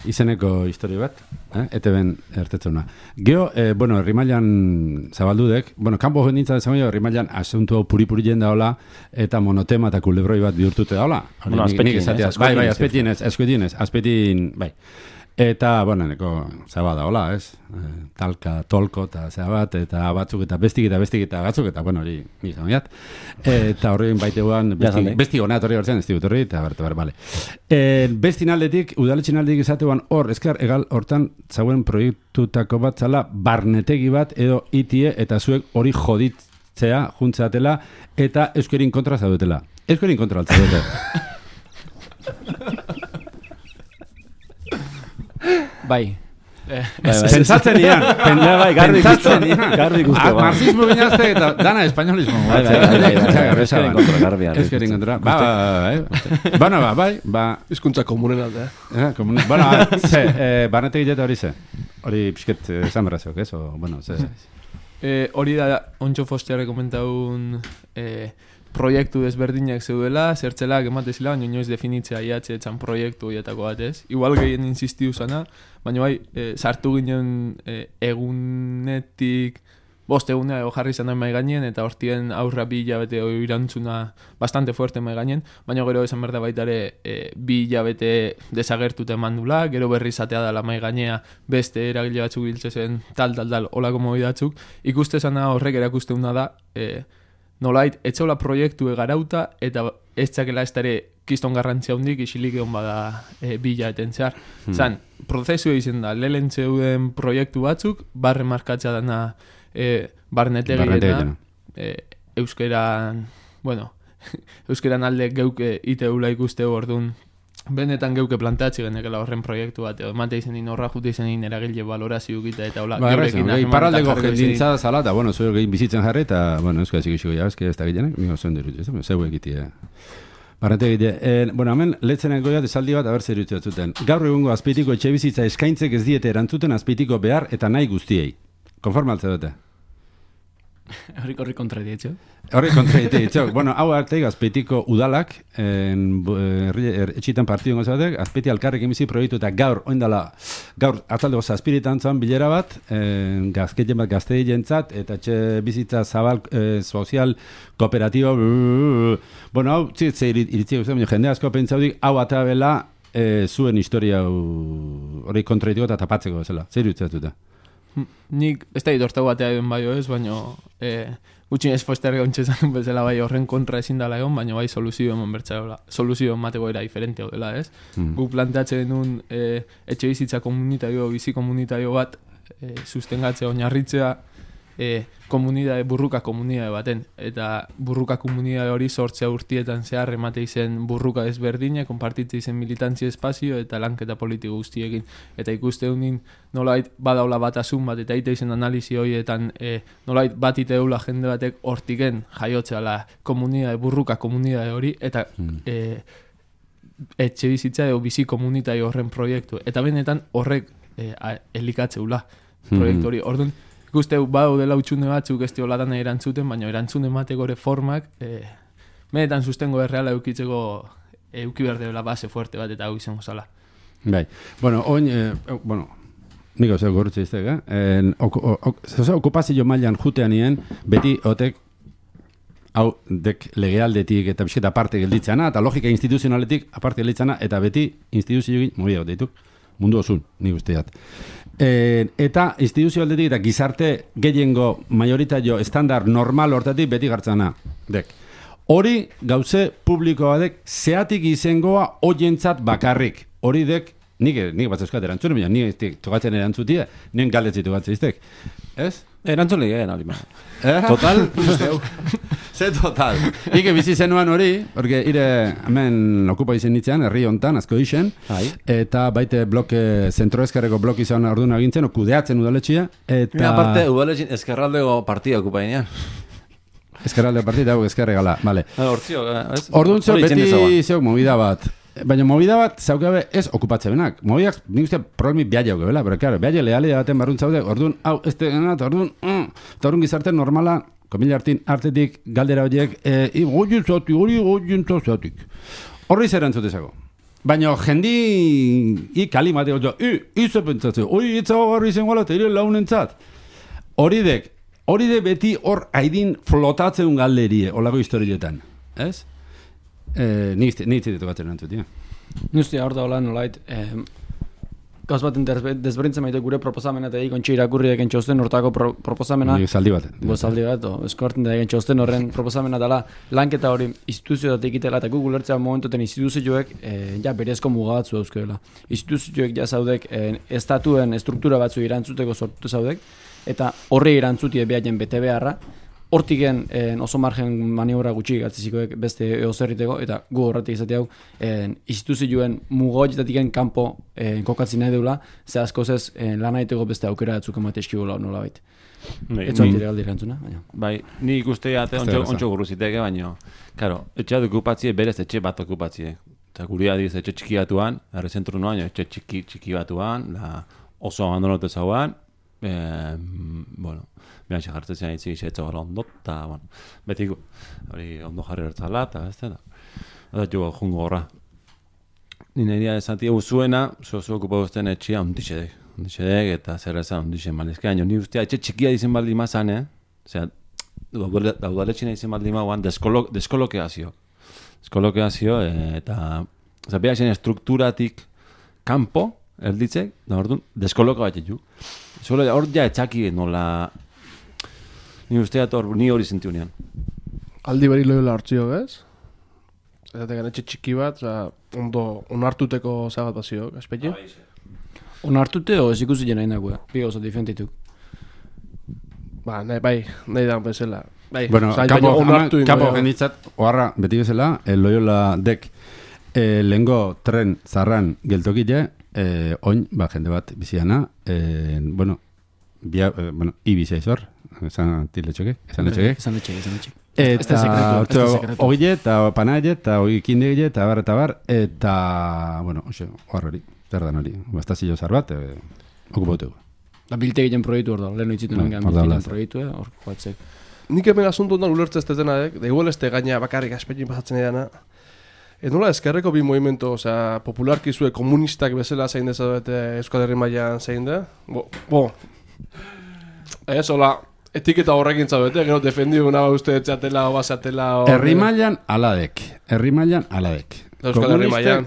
izeneko historio bat, eh? Ete ben ertetzuna. Geo, eh, bueno, herrimailan zabaldudek, bueno, kanpo jendintza dezago, herrimailan asuntu hau puri-puri jenda hola, eta monotema eta kulebroi bat bihurtute da hola. Bueno, azpetin, ez? Bai, bai, azpetin ez, azpetin ez, azpetin, bai. Eta, bueno, neko zabada hola, ez? Eh, talka, tolko, eta zabat, eta batzuk, eta bestik, eta bestik, eta batzuk, eta, bueno, hori, nizan biat. Eta horrein baiteguan, bestik honat horri hortzen, ez digut horri, eta berte, bere, bale. E, bestin aldetik, udaletxin aldetik izateuan hor, ezkar, egal, hortan, zauen proiektutako bat zala, barnetegi bat, edo itie, eta zuek hori joditzea, juntzeatela, eta euskerin kontra zaudetela. Euskerin kontra altzaudete. Bai. Pentsatzen ian. Bai, garbi guztu. Marxismo binazte eta dana espainolismo. Bai, bai, bai. Euskerin kontra, garbi. Euskerin kontra. Ba, bai, Bana, ba, bai. Hizkuntza komunen aldea. Bueno, ze, barnetek eta hori ze. Hori pixket esan berrazok, ez? Bueno, ze. Hori da, Ontxo Fosteare komentaun proiektu desberdinak zeudela, zertzelak ematezila, baina inoiz definitzea iatxe etzan proiektu horietako bat ez. Igual gehien insistiu zana, baina bai, e, sartu ginen e, egunetik, bost egunea ego jarri zan mai gainen, eta hortien aurra bi hilabete irantzuna bastante fuerte mai gainen, baina gero esan berda baita ere e, bi hilabete desagertute mandula, gero berri zatea dala mai gainea beste eragile batzuk biltzezen tal, tal, tal, olako mobidatzuk. Ikuste zana horrek erakusteuna da, e, nolait, etxola proiektu egarauta, eta ez txakela ez dara kiston garrantzia hundik, isilik egon bada e, bila eten zehar. Hmm. Zan, prozesu egin da, lehen zeuden proiektu batzuk, barre markatza dana e, barnetegirena, e, euskeran, bueno, euskeran alde geuke iteula ikusteu orduan, benetan geuke plantatzi genekela horren proiektu bat, edo emate izen din horra jute izen din eragile valorazio gita, eta hola, ba, geurekin ahemar. Iparraldeko jendintza zala, eta, bueno, zuek egin bizitzen jarri, eta, bueno, euskal zikixiko jabezke ez da gilenek, nio zuen dirut, ez da, zeu egitea. Barrete egitea. Eh, bueno, hemen, letzenen goiat esaldi bat, haber zer dut zuten. Gaur egungo azpeitiko etxe bizitza eskaintzek ez diete erantzuten azpeitiko behar eta nahi guztiei. Konforma altze dute? Horri horri kontra dietxo. Horri kontra dietxo. Bueno, hau arte azpeitiko udalak, etxitan partidun gozatek, azpeiti alkarrekin bizi proiektu eta gaur, oindala, gaur atzaldeko zazpiritan zan bilera bat, gazketien bat gaztei jentzat, eta etxe bizitza zabal, sozial, kooperatibo, bueno, hau, txitze iritzi guzti, jende asko pentsaudik, hau atabela zuen historia hori kontra dietxo eta tapatzeko zela. Zer dutzatuta? Nik, ez da idortau batea egon bai ez, baina e, gutxin ez Foster gontxezan bezala bai horren kontra ezin dala egon, baina bai soluzio eman bertzaiola, soluzio emateko era diferente hau dela, ez? Mm. Guk planteatzen denun e, etxe bizitza komunitario, bizi komunitario bat e, sustengatzea, oinarritzea, e, komunidade, burruka komunidade baten, eta burruka komunidade hori sortzea urtietan zehar emate izen burruka ezberdine, konpartitze izen militantzi espazio eta lanketa politiko guztiekin, eta ikuste honin nolait badaula batasun bat, eta ite izen analizi horietan e, nolait bat ite eula jende batek hortiken jaiotzeala komunidade, burruka komunidade hori, eta mm. e, etxe bizitza edo bizi komunitai horren proiektu, eta benetan horrek e, elikatzeula proiektu hori, orduan ikuste badu dela utxune batzuk ez diolatan erantzuten, baina erantzun emateko ere formak e, benetan sustengo erreala eukitzeko euki behar dela base fuerte bat eta hau izango zala. Bai, bueno, oin, eh, bueno, niko zeu gorutze iztek, eh? Zauza, okupazio mailan jutean nien, beti otek hau dek legealdetik eta bizketa aparte gelditzana, eta logika instituzionaletik aparte gelditzana, eta beti instituzioekin mobi hau deituk, mundu osun, nik usteat. E, eta instituzio aldetik eta gizarte gehiengo majoritario estandar normal hortatik beti gartzana dek. Hori gauze publikoa dek zeatik izengoa oientzat bakarrik. Hori dek, nik, nik bat euskat erantzun, baina nik tokatzen erantzutia, nien galdetzi tokatzen iztek. Ez? Erantzun ligeen, hori ma. Eh? Total, ze total. Ike bizi zenuan hori, porque ire hemen okupa izen nitzean, herri hontan, asko isen, eta baite bloke, zentroeskarreko blok izan orduan agintzen, kudeatzen udaletxia, eta... Mira, aparte, udaletxin eskerraldego partida okupa inean. Eskerraldego partida, hau eskerregala, vale. Hortzio, ez? Orduan zeo, beti zeok movida bat. Baina movida bat zaukabe ez okupatze benak. Movidak, nik uste problemi biaia hauke, pero claro, biaia lealea baten barrunt zaude, orduan, hau, ez tegenat, orduan, mm, eta orduan gizarte normala, komila artin, artetik, galdera horiek, e, goien zati, hori goien zatik. Horri zer entzutezako. Baina jendi, i kalimate, i, izo pentsatzeo, hori itzago garri zen gala, eta ire launentzat. Hori dek, hori de beti hor haidin flotatzeun galderie, olako historietan, ez? Eh, ni zitetu batzen entzut, ja. Nuztia, hor da hola nolait, eh, gauz baten desberintzen maite gure proposamena eta egin irakurri eken txosten hortako pro, proposamena. Ni zaldi bat. Bo zaldi bat, eskorten da egen txosten horren proposamena dela lanketa hori instituzioetak ikitela eta Google Earthea momentoten instituzioek eh, ja berezko mugabatzu dauzkeela. Instituzioek ja zaudek eh, estatuen estruktura batzu irantzuteko sortu zaudek eta horre irantzutie behaien bete beharra. Hortiken en, oso margen maniobra gutxi gatzizikoek beste eozerriteko eta gu horretik izate hau en, instituzioen mugoetatiken kanpo en, kokatzen nahi deula, ze asko zez lan aiteko beste aukera batzuk emate eskibola nola baita. Ez zontire galdi erantzuna. Bai, ni ikuste ate ontso gurruziteke, baina, karo, etxea okupatzie berez etxe bat okupatzie. Eta guri adiz etxe txiki batuan, erre zentru noan, etxe txiki, txiki batuan, da oso abandonotu zauan, eh, bueno, behan xe jartzen itzi etxe gara ondot, eta, bueno, beti hori ondo jarri hartzala, eta ez da, eta jo jungo horra. Nire dira esatia uzuena, zo-zo okupa guztien etxia ondixedek, ondixedek, eta zer ezan ondixen malizke, baina ni ustea etxe txikia dizen baldi mazan, eh? Osea, daudaletxina dizen baldi mauan, deskolokeazio. Deskolokeazio, eta, oza, beha zen estrukturatik kanpo, erditzek, da orduan, deskoloka bat etxu. Hor ja etxaki nola... Ni usteat hor, ni hori zintiunean. Aldi beri loiola hartzio, ez? Eta tegan etxe txiki bat, oza, ondo onartuteko zabat bazio, aspetxe? Onartute o ez ikusi jena indagoa, bi oso diferentituk. Ba, nahi, bai, nahi da bezala. Bai, bueno, zain, kapo, onartu ingo. Kapo genditzat, oharra, beti bezala, el loiola dek, eh, lengo tren zarran geltokile, eh, oin, ba, jende bat biziana, eh, bueno, bia, eh, bueno, ibizia izor, esan tiletxoke, esan letxoke. Esan letxoke, esan letxoke. Eta ogile, eta panaile, eta ogikindegile, eta bar, eta bar, eta, bueno, oxe, oar hori, zerdan hori, bastazio zar bat, e, okupoteko. Da bilte egiten proiektu hor da, lehen oitzitu nengan bilte egiten proiektu, hor joatzek. Nik hemen asuntu ondan ulertze ez denak, da igual ez te gaina bakarrik aspetxin pasatzen edana. E nola ezkerreko bi movimento, osea, popularki zue komunistak bezala zein dezabete Euskal Herri mailan zein da? Bo, bo. Ez, hola, etiketa horrekin zabete, gero defendiu nahi uste etxatela o basatela o... Herri mailan aladek, herri mailan aladek. Euskal Herri mailan.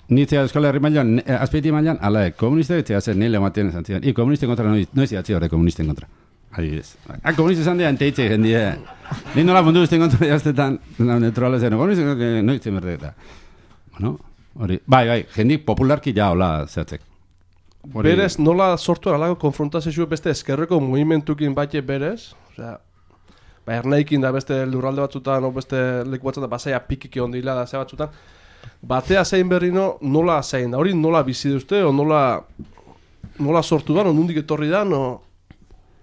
Nitzea Euskal Herri mailan, azpeiti mailan aladek. Komunistek etxea zen nile matien esan zidan. I komunisten kontra noiz idatzi horre komunisten kontra. Adibidez. Ah, komunisten esan dian teitze jendie. Ni nola mundu guztien kontra jaztetan, neutrala zen. Komunisten kontra noiz zen berdeta. Bueno, hori. Bai, bai, jendik popularki ja hola zehatzek. berez nola sortu alako konfrontazio beste eskerreko mugimentukin bate berez, osea, ba, ernaikin da beste lurralde batzutan, o beste leku batzutan, basaia pikiki ondila da ze batzutan, batea zein berrino nola zein da, hori nola bizi duzte, o nola, nola sortu da, o nundik etorri da, no...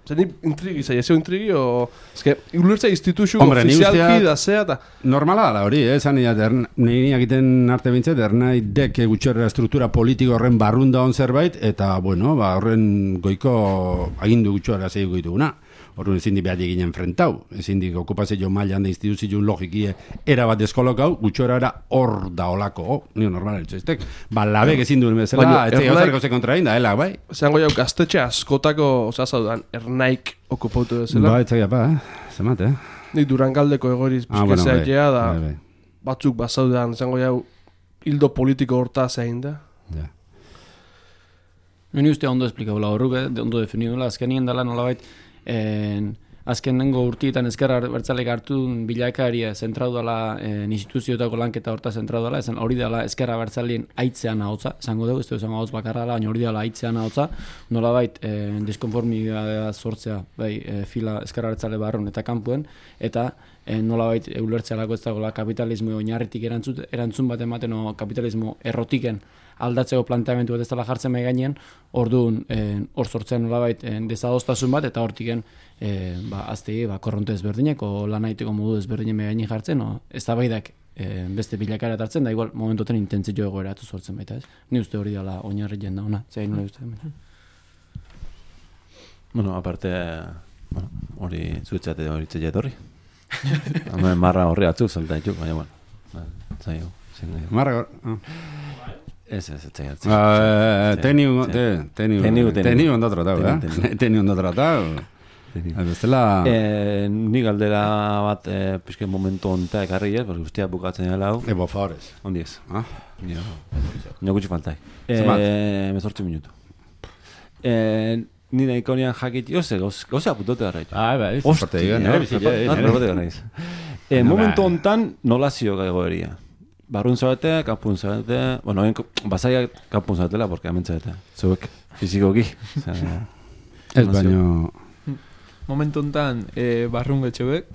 Zer ni intrigi, zai, ezio intrigi, o... Ez que, ulertza instituzio ofizialki da zea, eta... Normala da hori, eh? Zan nire, nire egiten arte bintzet, ernai dek gutxerra struktura politiko horren barrunda on zerbait, eta, bueno, ba, horren goiko agindu gutxerra zeiko dituguna. Horren ezin di behar egin enfrentau, ezin di okupazio mailan da instituzio logikie erabat deskolokau, gutxora era hor da olako, oh, nio normal eltsu eztek. Ba, labek ezin duen bezala, ez egin ozareko ze kontra egin da, helak, bai? Zango jau, gaztetxe askotako, oza, zaudan, ernaik okupautu bezala. Ba, etzakia, ba, eh? Zemat, eh? Nik Durangaldeko egoriz bizkezea egea da, batzuk bazaudan, zango jau, hildo politiko horta zein da. Ja. Meni uste ondo esplikabula horruk, eh? Ondo definidula, azkenien dela nolabait, En, azken nengo urtietan ezkerra bertzalek hartu bilakaria zentratu dela en, instituzioetako lanketa horta zentratu dela, esan hori dela ezkerra bertzalien aitzean ahotza, esango dugu, ez dugu esango ahotz bakarra dela, baina hori dela aitzean ahotza, nolabait en, diskonformidadea sortzea, bai, e, fila ezkerra bertzale barron eta kanpuen, eta en, nolabait ulertzealako ez dagoela kapitalismo oinarritik erantzun, erantzun bat ematen o kapitalismo errotiken aldatzeko planteamendu bat ez dela jartzen mai gainean, orduan hor sortzen nolabait desadostasun bat eta hortiken e, ba aztegi ba korronte ezberdinek o lanaiteko modu ezberdinen mai gainean jartzen, o eztabaidak e, beste bilakara hartzen da igual momentoten intentzio egoeratu sortzen baita, ez? Ni uste hori dela oinarrien da ona. Zein nola uste hemen. Bueno, aparte, bueno, hori zuetzate hori txeia etorri. Hemen marra horri atzuk salta ditu, baina bueno. Zaio, zen. Marra, Ez, ez, ez, ez. Teniu, teniu, teniu ondo tratau, eh? Teniu ondo tratau. Bestela... Ni galdera bat pixken momentu onta ekarri ez, porque guztia bukatzen dela hau. Ebo, favorez. Ondi ez. Nio gutxi faltai. Zemat? Mezortzi minutu. Ni nahiko nian jakit, oze, gauza apuntote gara ditu. Ah, bai, parte digan, nire bizile. Momentu ontan nolazio egoeria. Barrun zabete, kapun zabete, bueno, basaia kapun zabatela, porque hemen zabete, zuek, fizikoki. Ez baino... Momentu ontan, eh, barrun getxebek,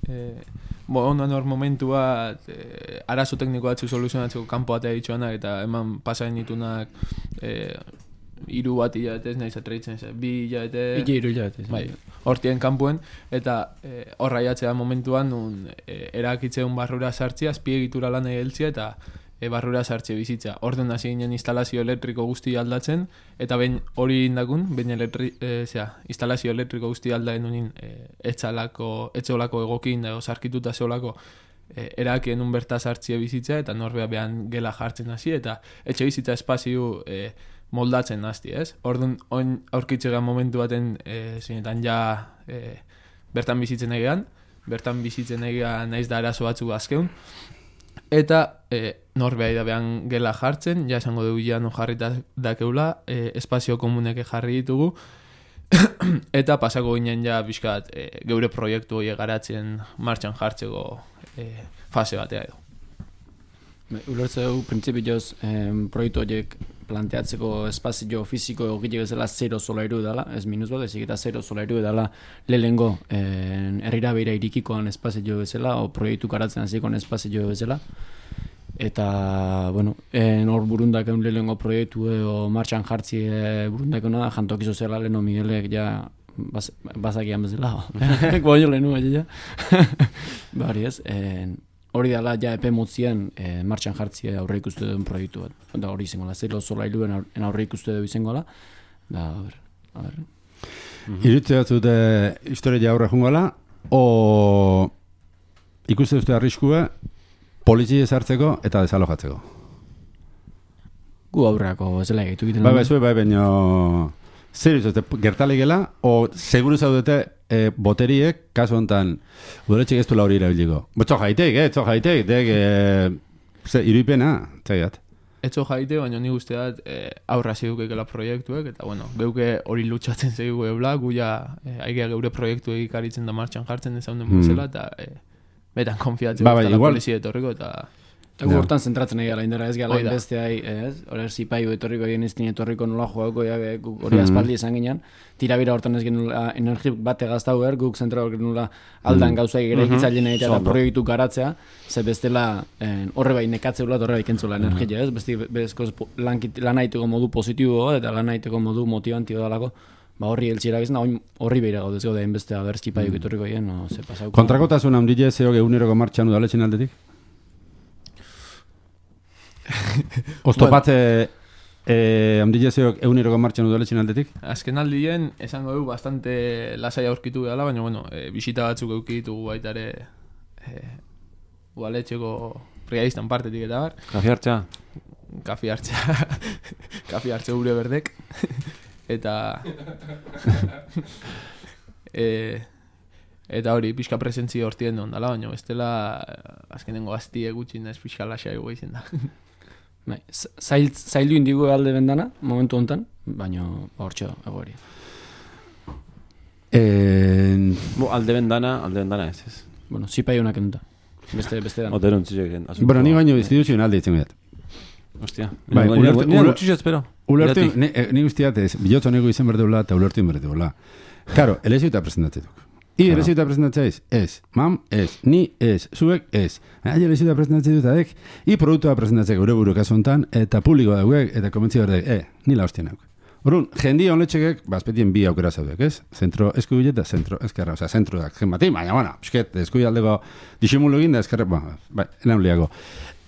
eh, bo, ondan hor momentu bat, eh, arazo tekniko batzuk soluzionatzeko kanpo batea ditxoanak, eta eman pasain ditunak, eh, iru bat hilabetez, nahiz atreitzen, bi hilabete... Iki iru hilabetez. Bai, hortien kanpuen, eta e, horra jatzea momentuan, nun e, erakitzeun barrura sartzea, azpiegitura lan egeltzea, eta e, barrura sartzea bizitza. Orduan hasi ginen instalazio elektriko guzti aldatzen, eta ben hori indakun, ben elektri, e, zera, instalazio elektriko guzti aldaen unin, e, etxalako, etxolako egokin, edo sarkituta zeolako, e, erakien un berta sartzea bizitza, eta norbea behan gela jartzen hasi, eta etxe bizitza espazio... E, moldatzen nazti, ez? Orduan, oin aurkitzega momentu baten e, zinetan ja e, bertan bizitzen egean, bertan bizitzen egean naiz da arazo batzuk azkeun, eta e, norbea da behan gela jartzen, ja esango dugu ja no jarri dakeula, e, espazio komuneke jarri ditugu, eta pasako ginen ja bizkat e, geure proiektu hori garatzen martxan jartzeko e, fase batea edo. Ulertze dugu, printzipioz, eh, proiektu horiek planteatzeko espazio fiziko egile bezala zero solairu edala, ez minus bat, ezik eta zero solairu edala lehengo eh, herrira beira irikikoan espazio bezala, o proiektu garatzen hasikoan espazio bezala. Eta, bueno, en hor burundak egun lehengo proiektu edo martxan jartzi e, burundak egun jantokizo zela leheno Miguelek ja baz, bazakian bezala. Baino lehenu, ja. Bari ez, en, hori dela ja epe motzien e, martxan jartzia aurre ikuste duen proiektu bat. Da hori izango da, zero solailuen aurre ikuste du izango da. Da, a ber, a ber. Mm-hmm. Irutze batzute historia aurre jungola, o ikuste duzte arriskue polizia sartzeko eta desalojatzeko? Gu aurreako zela egaitu egiten. Bai, bai, zue, bai, baina zer izuzte, gertalegela, o seguru zaudete e, boteriek, kasu honetan, udaletxek ez duela hori irabiliko. Txo jaitek, eh, txo jaitek, dek, e, ze, iruipena, txaiat. Etxo jaite, baina ni guzteat e, aurra zidukekela proiektuek, eta bueno, geuke hori lutsatzen zegu ebla, guia e, aigea geure proiektu egikaritzen da martxan jartzen ezaunden bezala, eta e, betan konfiatzen ba, ba, la polizia etorriko, eta Eta gu hortan zentratzen nahi gara, indara ez gara beste hai, ez? Hora zipaiu etorriko egin ez etorriko nola joako, hori aspaldi esan ginen, tirabira hortan ez genula energi bate gaztau behar, guk zentra hor genula aldan gauzai gara ikitzailen egitea eta proiektu garatzea, ze bestela horre bai nekatzeula, horre bai kentzula energia, ez? Besti bezkoz lan haiteko modu positibo eta lan haiteko modu motivantio dalako, ba horri eltsiera bizna, horri behira gaudez gaude hainbeste abertzi paiuk etorriko egin, no, ze pasauko. Kontrakotasun handile zeok eguneroko martxan udaletxen aldetik? Oztopatze handile zeok eguneroko martxan udaletxen aldetik? Azken aldien, esango du bastante lasai aurkitu gala, baina bueno, bisita batzuk eukitugu baita ere udaletxeko brigadistan partetik eta bar. Kafi hartza? Kafi hartza, kafi hartza gure berdek. Eta e, eta hori pixka presentzia hortien duen dala, baina bestela azkenengo gaztie gutxin ez pixka lasai egu izin da. Zail, zaildu indigo alde bendana, momentu honetan, baina hortxo egori. En... Bo, alde bendana, alde bendana ez ez. Bueno, zipai honak enuta. Beste, beste dana. Oterun zizek. Bueno, ni baino instituzionalde ditzen gaiat. Hostia. Bai, ulertu, ni gutxi espero. Ulertu, ni guztiat ez, bilotzo nego izen berdeula eta ulertu berdeula. Karo, elezio eta presentatzea I elezio eta presentatzea ez, ez, mam, ez, ni ez, zuek ez. Aile elezio eta presentatzea dut adek, I produktua presentatzea gure buru kasu hontan, eta publikoa dauek, eta komentzi berdek, e, nila hostien hauk. Horun, jendi honletxekek, bazpetien bi aukera zaudek, ez? Zentro eskubile eta zentro eskerra, oza, zentro da, jen bati, baina, baina, pisket, eskubile aldeko disimulu egin da eskerra, ba, bai, enan liago.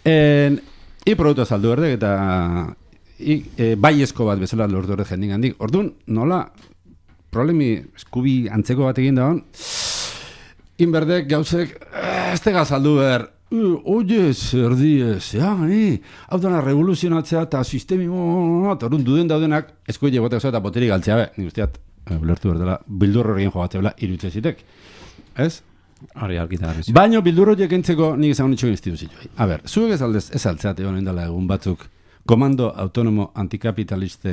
En, I produktua saldu berdek, eta I, e, bai esko bat bezala lortu horret jendin handik. Orduan, nola, problemi eskubi antzeko bat egin da hon, inberdek gauzek, ez tega saldu behar, oie, zer diez, ja, ni, hau dana revoluzionatzea eta sistemi, orduan duden daudenak, eskoile bote oso eta boterik galtzea be, nik usteat, ulertu berdela, bildur horrekin jogatzea bela, irutze zitek, ez? Hori alkita garrizu. Baino bildur horiek entzeko nik ezan honitxo instituzioa. A ber, zuek ez aldez, ez altzeate honen dela egun batzuk, Komando Autonomo Antikapitaliste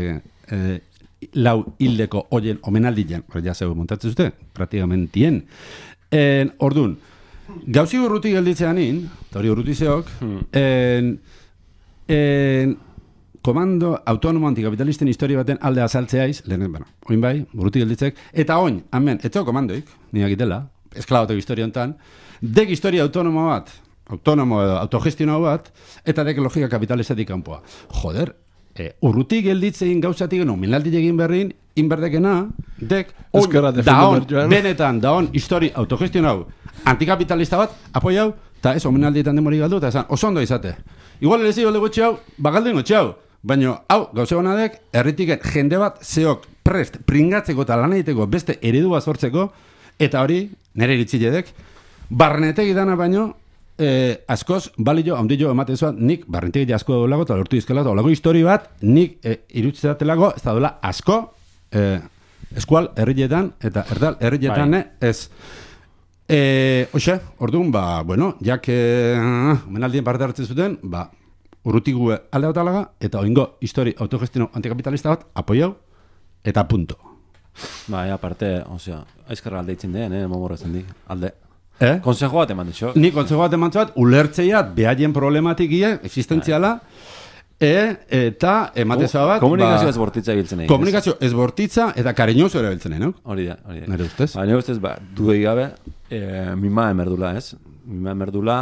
eh, lau hildeko oien omenaldian, hori ja zeu montatzen zute, praktigamentien. En, ordun, gauzi urruti gelditzean in, eta hori urruti zeok, hmm. en, en, Komando Autonomo Antikapitalisten historia baten alde azaltzeaiz, lehen, bueno, oin bai, urruti gelditzek, eta oin, hemen, etzeo komandoik, niak itela, esklabatok historia hontan, dek historia autonomo bat, autonomo edo autogestionau bat, eta dek logika kapitalistatik kanpoa. Joder, e, urrutik gelditzein gauzatik geno, minaldi egin berrin, inberdekena, dek, on, daon, benetan, daon, histori autogestionau, antikapitalista bat, apoiau, eta ez, omenaldietan demori galdu, eta esan, oso ondo izate. Igual elezi golde gotxe hau, bagalden gotxe hau, baina, hau, gauze honadek, erritiken jende bat, zeok, prest, pringatzeko eta lan egiteko beste eredua sortzeko, eta hori, nire iritziledek, barnetek idana baino, eh, askoz, balio, handillo ematen zuan, nik barnetek asko dago eta lortu izkela, eta olago histori bat, nik eh, irutzatelako, ez da dola asko, eh, eskual herrietan, eta erdal herrietan, eh, ez. Eh, Oxe, orduan, ba, bueno, jak, eh, menaldien parte hartzen zuten, ba, urrutigu alde bat alaga, eta oingo histori autogestino antikapitalista bat, apoiau, eta punto. Ba, ea, aparte, osea, aizkarra alde itzen den, eh, momorrezen di, alde. Eh? Konsejo bat eman ditxo. Ni konsejo bat eman zuat, ulertzeiat, behaien problematikia, existentziala, e, eta ematezoa bat... Komunikazio ba, ez bortitza ebiltzen egin. Komunikazio ez bortitza eta kariñoso ere ebiltzen egin, no? Hori da, hori da. Nere ustez? Ba, nire ustez, ba, duei gabe, e, mima emerdula, ez? Mima emerdula,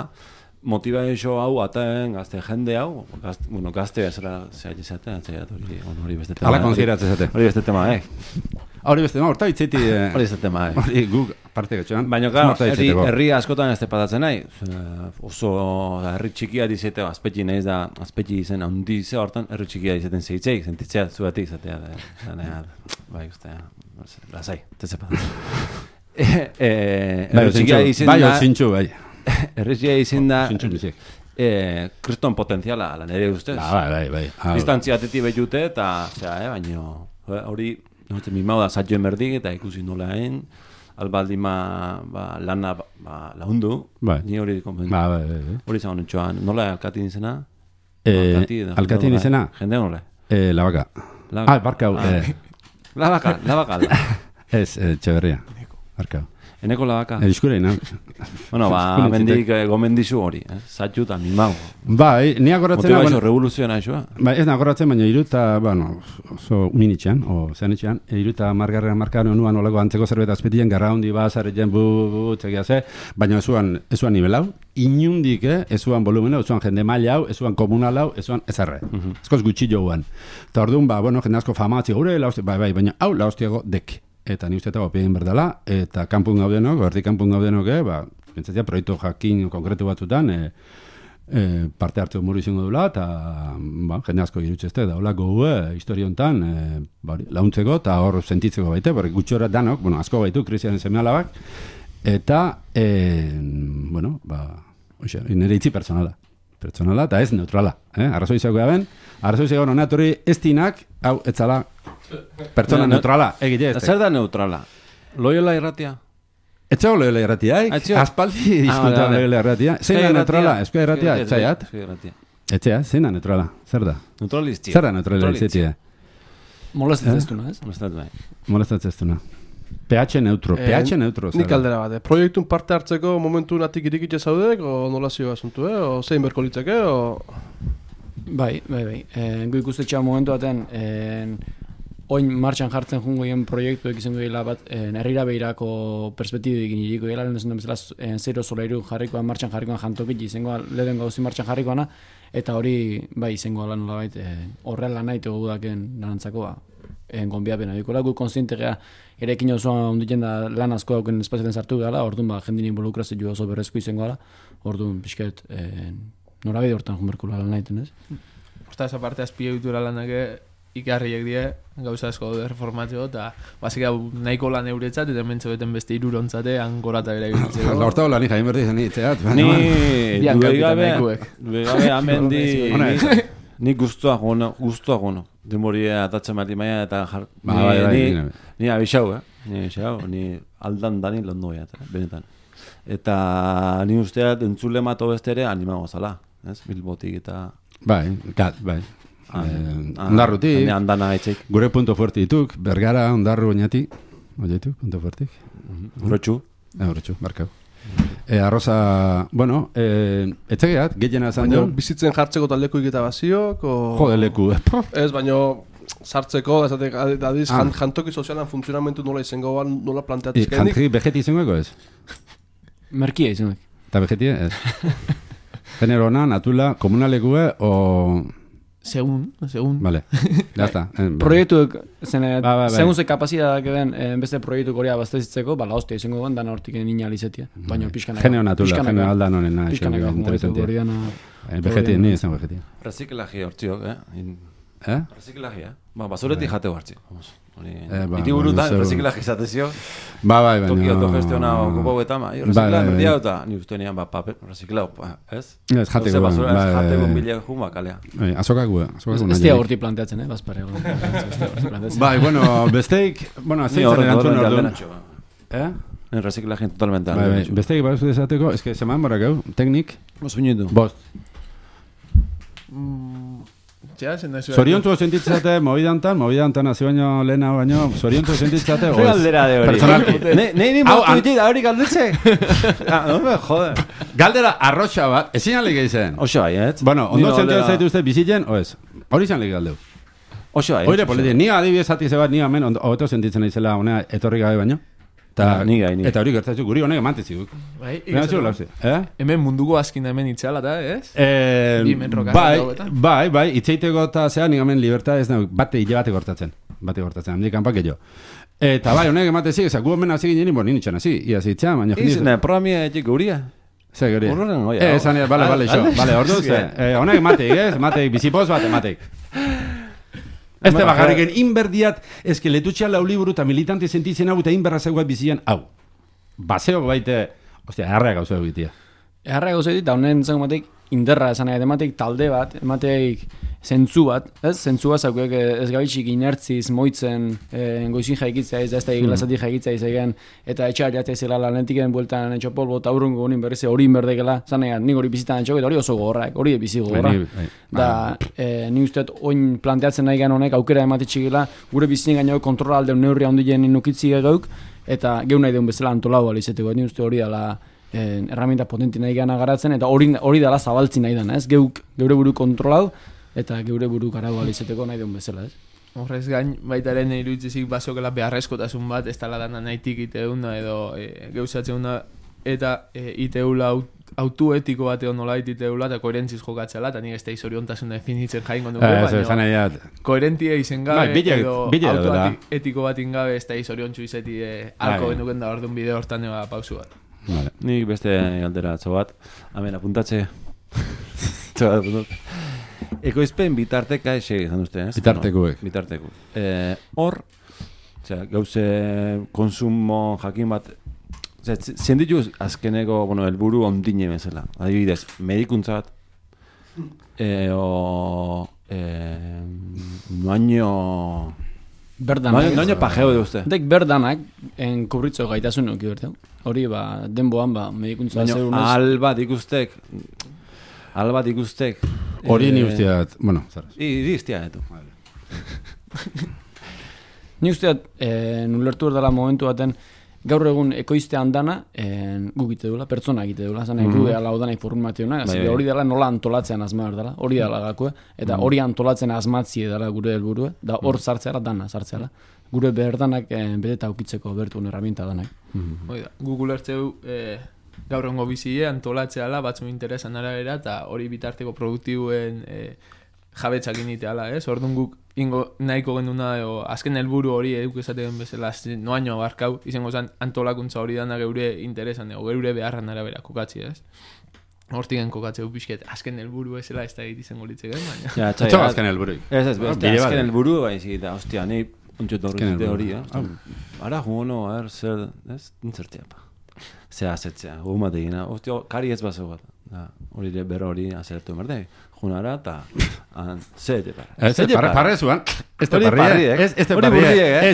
motibaixo hau, ataen, gazte jende hau, gazte, bueno, gazte bezala zehati zaten, atzaiat hori, hori beste tema. Ala konsideratzen zate. Hori beste tema, eh? Hori beste tema, horta itzeti... Hori beste tema, eh? Hori guk parte gatxoan. Baina, claro, herri, herri askotan ez tepatatzen nahi. Oso herri txikia dizete, azpetxi nahiz da, azpetxi izen handi ze hortan, herri txikia dizeten zeitzeik, sentitzea zuetik, zatea, bai, uste, lasai, tetzepatatzen. Herri txikia izen da... Bai, zintxu, bai. Herri txikia izen da... Kriston potenziala, lan ere ustez. Bai, bai, bai. Distantzia atetik behitute, eta, zera, eh, baina, hori, mimau da zatioen berdik, eta ikusi nola hain, albaldima ba, lana ba, laundu, bai. Ni hori konpentu. Ba, bai, bai. Hori zagon entxoan, nola alkatin izena? Eh, alkatin izena? Jende nola? Eh, la baka. Ah, barkau. Ah. Eh. La baka, la baka. Ez, eh, Txeberria. Barkau. Eneko labaka. Edizkure, na. Bueno, ba, mendik gomendizu hori, eh? Zatxu eta mimago. Bai, ni agoratzen... Motivazio revoluzioa naixoa. Ba, ez nagoratzen, baina iruta, bueno, oso uninitxean, o zean itxean, iruta margarren markaren onuan olako antzeko zerbait azpetien, garra hondi ba, zareten bu, bu, bu, txekia ze, baina ezuan, ezuan nivel hau, inundik, eh, ezuan volumena, ezuan jende maila hau, ezuan komunal hau, ezuan ezarre. Uh -huh. Ezkoz gutxi joan. Eta orduan, ba, bueno, jende asko famatzi gure, lauzti, bai, bai, baina hau lauztiago dek. Eta ni uste eta gopien berdala, eta kanpun gaudenok, berdi kanpun gaudenok, eh, ba, pentsatzea, proiektu jakin konkretu batzutan, e, e, parte hartu muru izango dula, eta ba, jende asko irutxezte, daula gogu e, historia honetan e, ba, launtzeko eta hor sentitzeko baite, porque gutxora danok, bueno, asko baitu, Kristianen seme-alabak, eta, e, bueno, ba, oixe, nire itzi pertsonala. Pertsonala eta ez neutrala. Eh? Arrazoi zegoa ben, arrazoi zegoa nonatori ez tinak, hau, etzala, pertsona ne, neutrala, egite ez. Zer da neutrala? Loiola irratia? Etxego loiola irratia, eh? Aspaldi disfruta ah, loiola irratia. Zein da neutrala? Eskoa irratia, etxaiat? Etxea, zein da neutrala? Zer da? Neutraliztia. Zer da neutraliztia? Molestatzen ez duna, ez? Molestatzen ez duna. pH neutro, eh, pH neutro. Nik aldera bat, eh? Proiektun parte hartzeko momentu natik irikitxe zaudek, o nola zio asuntu, eh? O zein berko litzake, o... Bai, bai, bai. E, Gu ikustetxea momentu baten, e, oin martxan jartzen jungo egin proiektuek izango gila bat, e, herrira behirako perspektibekin iriko gila, lehen desun bezala, e, zero solairu jarrikoan, martxan jarrikoan jantokit, izango lehen gauzi martxan jarrikoana, eta hori, bai, izango lan nola bait, e, horrela nahi tegu daken lanantzako, ba, e, gonbiapena. Dikola, gu konstiente gea, ere ekin osoan onditzen da lan asko dauken espazioetan sartu gala, orduan, ba, jendin involukrazio oso berrezko izango gala, orduan, pixket, e, norabide hortan junberkula lan nahiten, ez? Osta, esa parte azpiegitura lanak ikarriek die, gauza asko reformatzeko, eta basik nahiko lan euretzat, eta mentzo beten beste irurontzate, angorata bera egitzeko. Horta hola, ni jain berdi zen itzeat. Ni, duei gabe, duei gabe, amen di, ni guztua gono, guztua gono. Demoria atatzen mati maia, eta jar... Ni abixau, eh? Ni abixau, ni aldan dani londoia, benetan. Eta ni usteat entzule mato beste ere animago zala, ez? Bilbotik eta... Bai, gat, bai. Ondarrutik, andana etxeik. Gure punto fuerte dituk, Bergara, ondarru oinati. Oiatu, punto fuertik. Horretxu. Horretxu, barkau. Arroza, bueno, etxegeat, gehiena esan duen. Bizitzen jartzeko taldeko iketa baziok, o... Jode leku, ez, baino... sartzeko, ezatek, adiz, ah. jantoki sozialan funtzionamentu nola izango, nola planteatizkenik. Jantri vegeti izango ez? Merkia izango. Eta vegeti ez? Generona, natula, komunalekue, o... Segun, segun. Vale, ya está. Proiektuek, segun ze kapazitateak eben, beste proiektu korea baztezitzeko, bala hostia izango guen, dana hortik nina alizetia. Baina pixkanaka. Genero natula, genero aldan honen. Pixkanaka, momentu goriana. Vegeti, ni izan vegeti. Reziklaji hortziok, eh? Eh? Reziklagia. Ba, basureti jateu hartzi. Iti burutan, reziklaji zatezio. Ba, bai, baina... Toki autogestiona okupau eta ma. Reziklagia berdia eta ni uste nian, ba, paper, reziklau, ez? Ez jateko, bai. Ez jateko bilek juma, kalea. Azokakua, azokakua. Ez dia horti planteatzen, eh, bazpare. Bai, bueno, besteik, bueno, azeitzen erantzun orduan. Eh? En reziklagien totalmente. Bai, besteik, bai, desateko, ez que seman barak hau, teknik. Bos binitu. Bost. Zoriontu sentitzate, movidantan, movidantan hazi baino lehena baino, zoriontu sentitzate, oez. Galdera de hori. Nei ni motu iti da hori galdetxe. Ah, no me jode. Galdera arroxa bat, ezin alik egiten. Oso bai, ez? Bueno, ondo sentitzen zaitu uste bizitzen, oez. Hori izan lik galdeu. Oso bai. Oire politik, ni adibidez ati zebat, ni amen, hobeto sentitzen naizela honea etorri gabe baino. Ta, ni gai, ni. Eta hori gertatzen guri honek emantziziguk. Bai, eh? Hemen munduko azkin hemen itxala da, ez? Eh, bai, bai, bai, itxeiteko eta zea, nik hemen libertad ez nahi, bate hile bate gortatzen. Bate gortatzen, handik kanpak jo. Eta bai, honek ematezik, ezak gu hemen hazi ginen, bo, nintxan hazi, iaz itxan, baina... Izan, programia etik guria. Zer guria? Horren, oia. Eh, esan, bale, bale, xo, bale, ordu ze. Honek emateik, ez, emateik, bizipoz bat emateik. Ez te bagarriken, inberdiat, ezke letutxean lau liburu eta militanti sentitzen hau eta inberra zegoa bizian hau. Baseo baite, ostia, erra gauza egitea. Erra gauza egitea, honen zen emateik, inderra esan nahi, emateik talde bat, emateik zentzu bat, ez? Zentzu bat zaukuek ez gabitxik inertziz moitzen eh, goizin jaikitzea ez da ez da eglazatik jaikitzea izegen eta etxar jatzea izela lanetiken bueltan etxo polbo eta urrungo honin berriz hori inberdekela zanean nik hori bizitan etxok eta hori oso gogorrak, hori bizi gogorra da eh, ni usteet oin planteatzen nahi gan honek aukera ematitxigela gure bizien gaino kontrola aldeun neurria ondien inukitzi gauk eta geu nahi deun bezala antolau alizeteko ni uste hori dela eh, herramienta potenti nahi gana garatzen eta hori hori dela zabaltzi nahi dana ez geuk geure buru kontrolau eta geure buru garau alizeteko nahi deun bezala ez Horrez gain, baitaren iruditzik basokela beharrezkotasun bat, ez tala dana nahitik iteuna edo e, geuzatzeuna eta e, iteula autu etiko bat edo nolait iteula eta koherentziz jokatzela, eta nik ez da izoriontasun definitzen jaingo dugu, eh, baina koherentia izen gabe bai, bile, edo bile autu da. etiko bat ingabe ez da izoriontzu izeti e, alko genuken da orduan bide hortan eba pausu bat. Vale. Nik beste aldera atzo bat, hemen apuntatze. Txobat apuntut. Ekoizpen bitarteka esegi izan duzte, ez? Bitartekuek. No, bitarteku. Eh, hor, osea, gauze konsumo jakin bat, osea, zien ditu azkeneko, bueno, helburu ondine bezala. Adibidez, medikuntza bat, eh, o, eh, noaino... Berdanak. Noaino pajeo duzte. Dek berdanak, en kubritzo gaitasun nuki berteu. Hori, ba, denboan, ba, medikuntza zerunez. Albat ikustek, albat ikustek, hori ni usteat, bueno, zaraz. Iri iztia, eto. Ni usteat, eh, nulertu erdala momentu baten, gaur egun ekoiztean dana, eh, gu gite dula, pertsona gite dula, zan mm-hmm. gu ala odanai formateuna, bai, hori dela nola antolatzean asma dela, hori dela gakue, eta hori mm-hmm. antolatzen asmatzie dela gure helburua, da hor sartzeala dana sartzeala. Gure berdanak eh, beteta aukitzeko bertun herramienta danak. Mm-hmm. Oida, Google ertzeu eh, gaur egongo bizie antolatzeala batzu interesan arabera eta hori bitarteko produktibuen eh, jabetzak initeala, ez? Orduan guk ingo nahiko genduna edo azken helburu hori eduk esaten bezala noaino abarkau, izango zen antolakuntza hori dana geure interesan edo geure beharran arabera kokatzi, ez? Hortigen kokatzeu pixket, azken helburu ezela ez da egit izango litzek, baina... Ja, txai, Etxo azken helburu. Ez, ez, azken helburu, bai, zikita, ostia, nahi ontxot horretzite hori, eh? Ara, jugono, a ver, zer, ez, nintzertia, pa. Zea azetzea, gu mategina, ostia, kari ez bazo bat. Hori berro hori azertu emerde, junara eta zete parre. Zete parre zuan, ez te parrie, ez te parrie,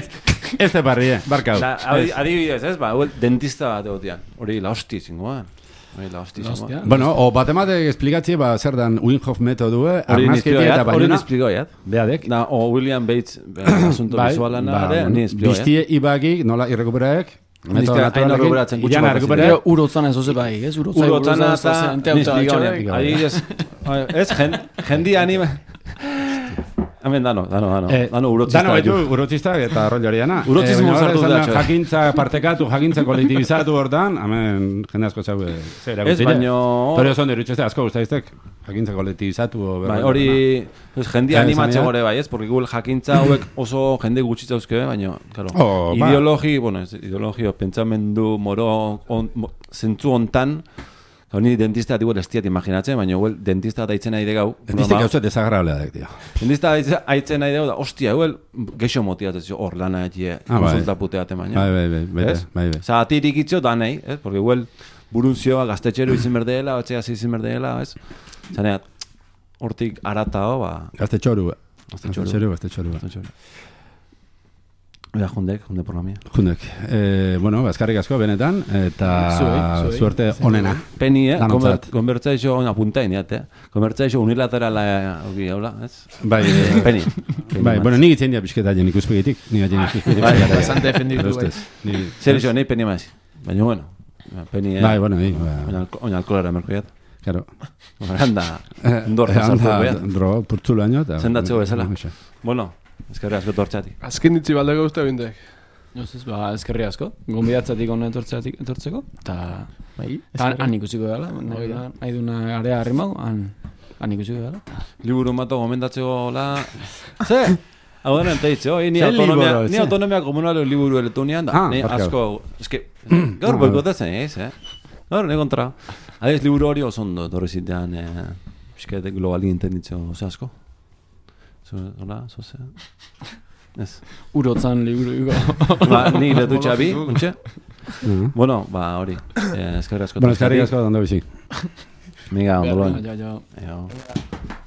ez te parrie, barkau. Adibidez, ez, ba, dentista bat egotian, hori la hosti zingoan. Hori la hosti zingoan. Bueno, o bat emate esplikatzi, ba, zer dan Wim Hof metodue, arnazketia eta baina. Hori nisplikoiat. Beadek. Da, o William Bates, asunto visualana, ni nisplikoiat. Biztie ibagik, nola irrekuperaek, metodo naturalekin, iana errekuperaek. Urotzana ez oze bai, ez? Urotzana eta nisplikoiat. Adibidez, ez, jendi anima... Hemen dano, dano, dano. Eh, dano urotzista. Dano baitu urotzistak eta rollo horiana. Urotzismo eh, sartu da. Jakintza partekatu, jakintza kolektibizatu hortan, hemen jende asko zau zer ez baino... Pero son derutxeste asko guztaiztek, jakintza kolektibizatu. Bai, hori, pues, jende animatze gore bai, ez? Porque Google jakintza hauek oso jende gutxitza euske, baino, claro, oh, ideologi, ba. bueno, ez, ideologio, pentsamendu, moro, on, mo, zentzu hontan, honi dentista atibu estiat imaginatzen, baina huel dentista daitzen nahi degau. Dentista gauzat desagrablea dek, tio. Dentista daitzen nahi degau, da, ostia, huel geixo motiatzen, hor lana etie, ah, konsulta puteate baina. Bai, bai, bai, bai, bai, bai. Osa, atirik itxo da nahi, ez? Porque huel burunzioa gaztetxero izin berdeela, otxea izin berdeela, ez? Zaneat, hortik aratao, ba... Gaztetxoru, gaztetxoru, gaztetxoru, gaztetxoru. Ea, jundek, junde programia. Jundek. Eh, bueno, bazkarrik asko benetan, eta suerte onena. Peni, eh? Konbertzaixo, on apuntain, jate. Konbertzaixo unilaterala, hori, haula, ez? Bai, Peni. Bai, bueno, nik itzen dia bizketa jen ikuspegitik. Nik itzen ikuspegitik. Bai, bastante defenditu, bai. Zer iso, nahi peni maiz. Baina, bueno. Peni, eh? Bai, bueno, bai. Oina alkolara merkoiat. Claro. Anda, ndorra sartu goiat. Dro, purtzulu año. Zendatzeko bezala. Bueno. Ezkerri asko tortxatik. Azken ditzi baldeko uste bindek. Ez ez, ba, ezkerri asko. Gombidatzatik honen etortzeko. Eta han ikusiko dela. Nahi duna area harrimau, han ikusiko dela. Liburu mato gomendatzeko la... Ze? Hau denen teitze, oi, ni autonomia, ni autonomia komunalo liburu elektunian da. Ni asko, eske, gaur boikotatzen ez, eh? Gaur, ne kontra. Adez, liburu hori oso ondo, torri zitean, eske, globali internitzo, oso asko. Hola, zoze. Ez. Urotzan liburu ego. Ba, ni letu txabi, untxe? Bueno, ba, hori. Eskerri asko. Bueno, eskerri asko, dando bizi. Miga, ondolon. Jo, jo.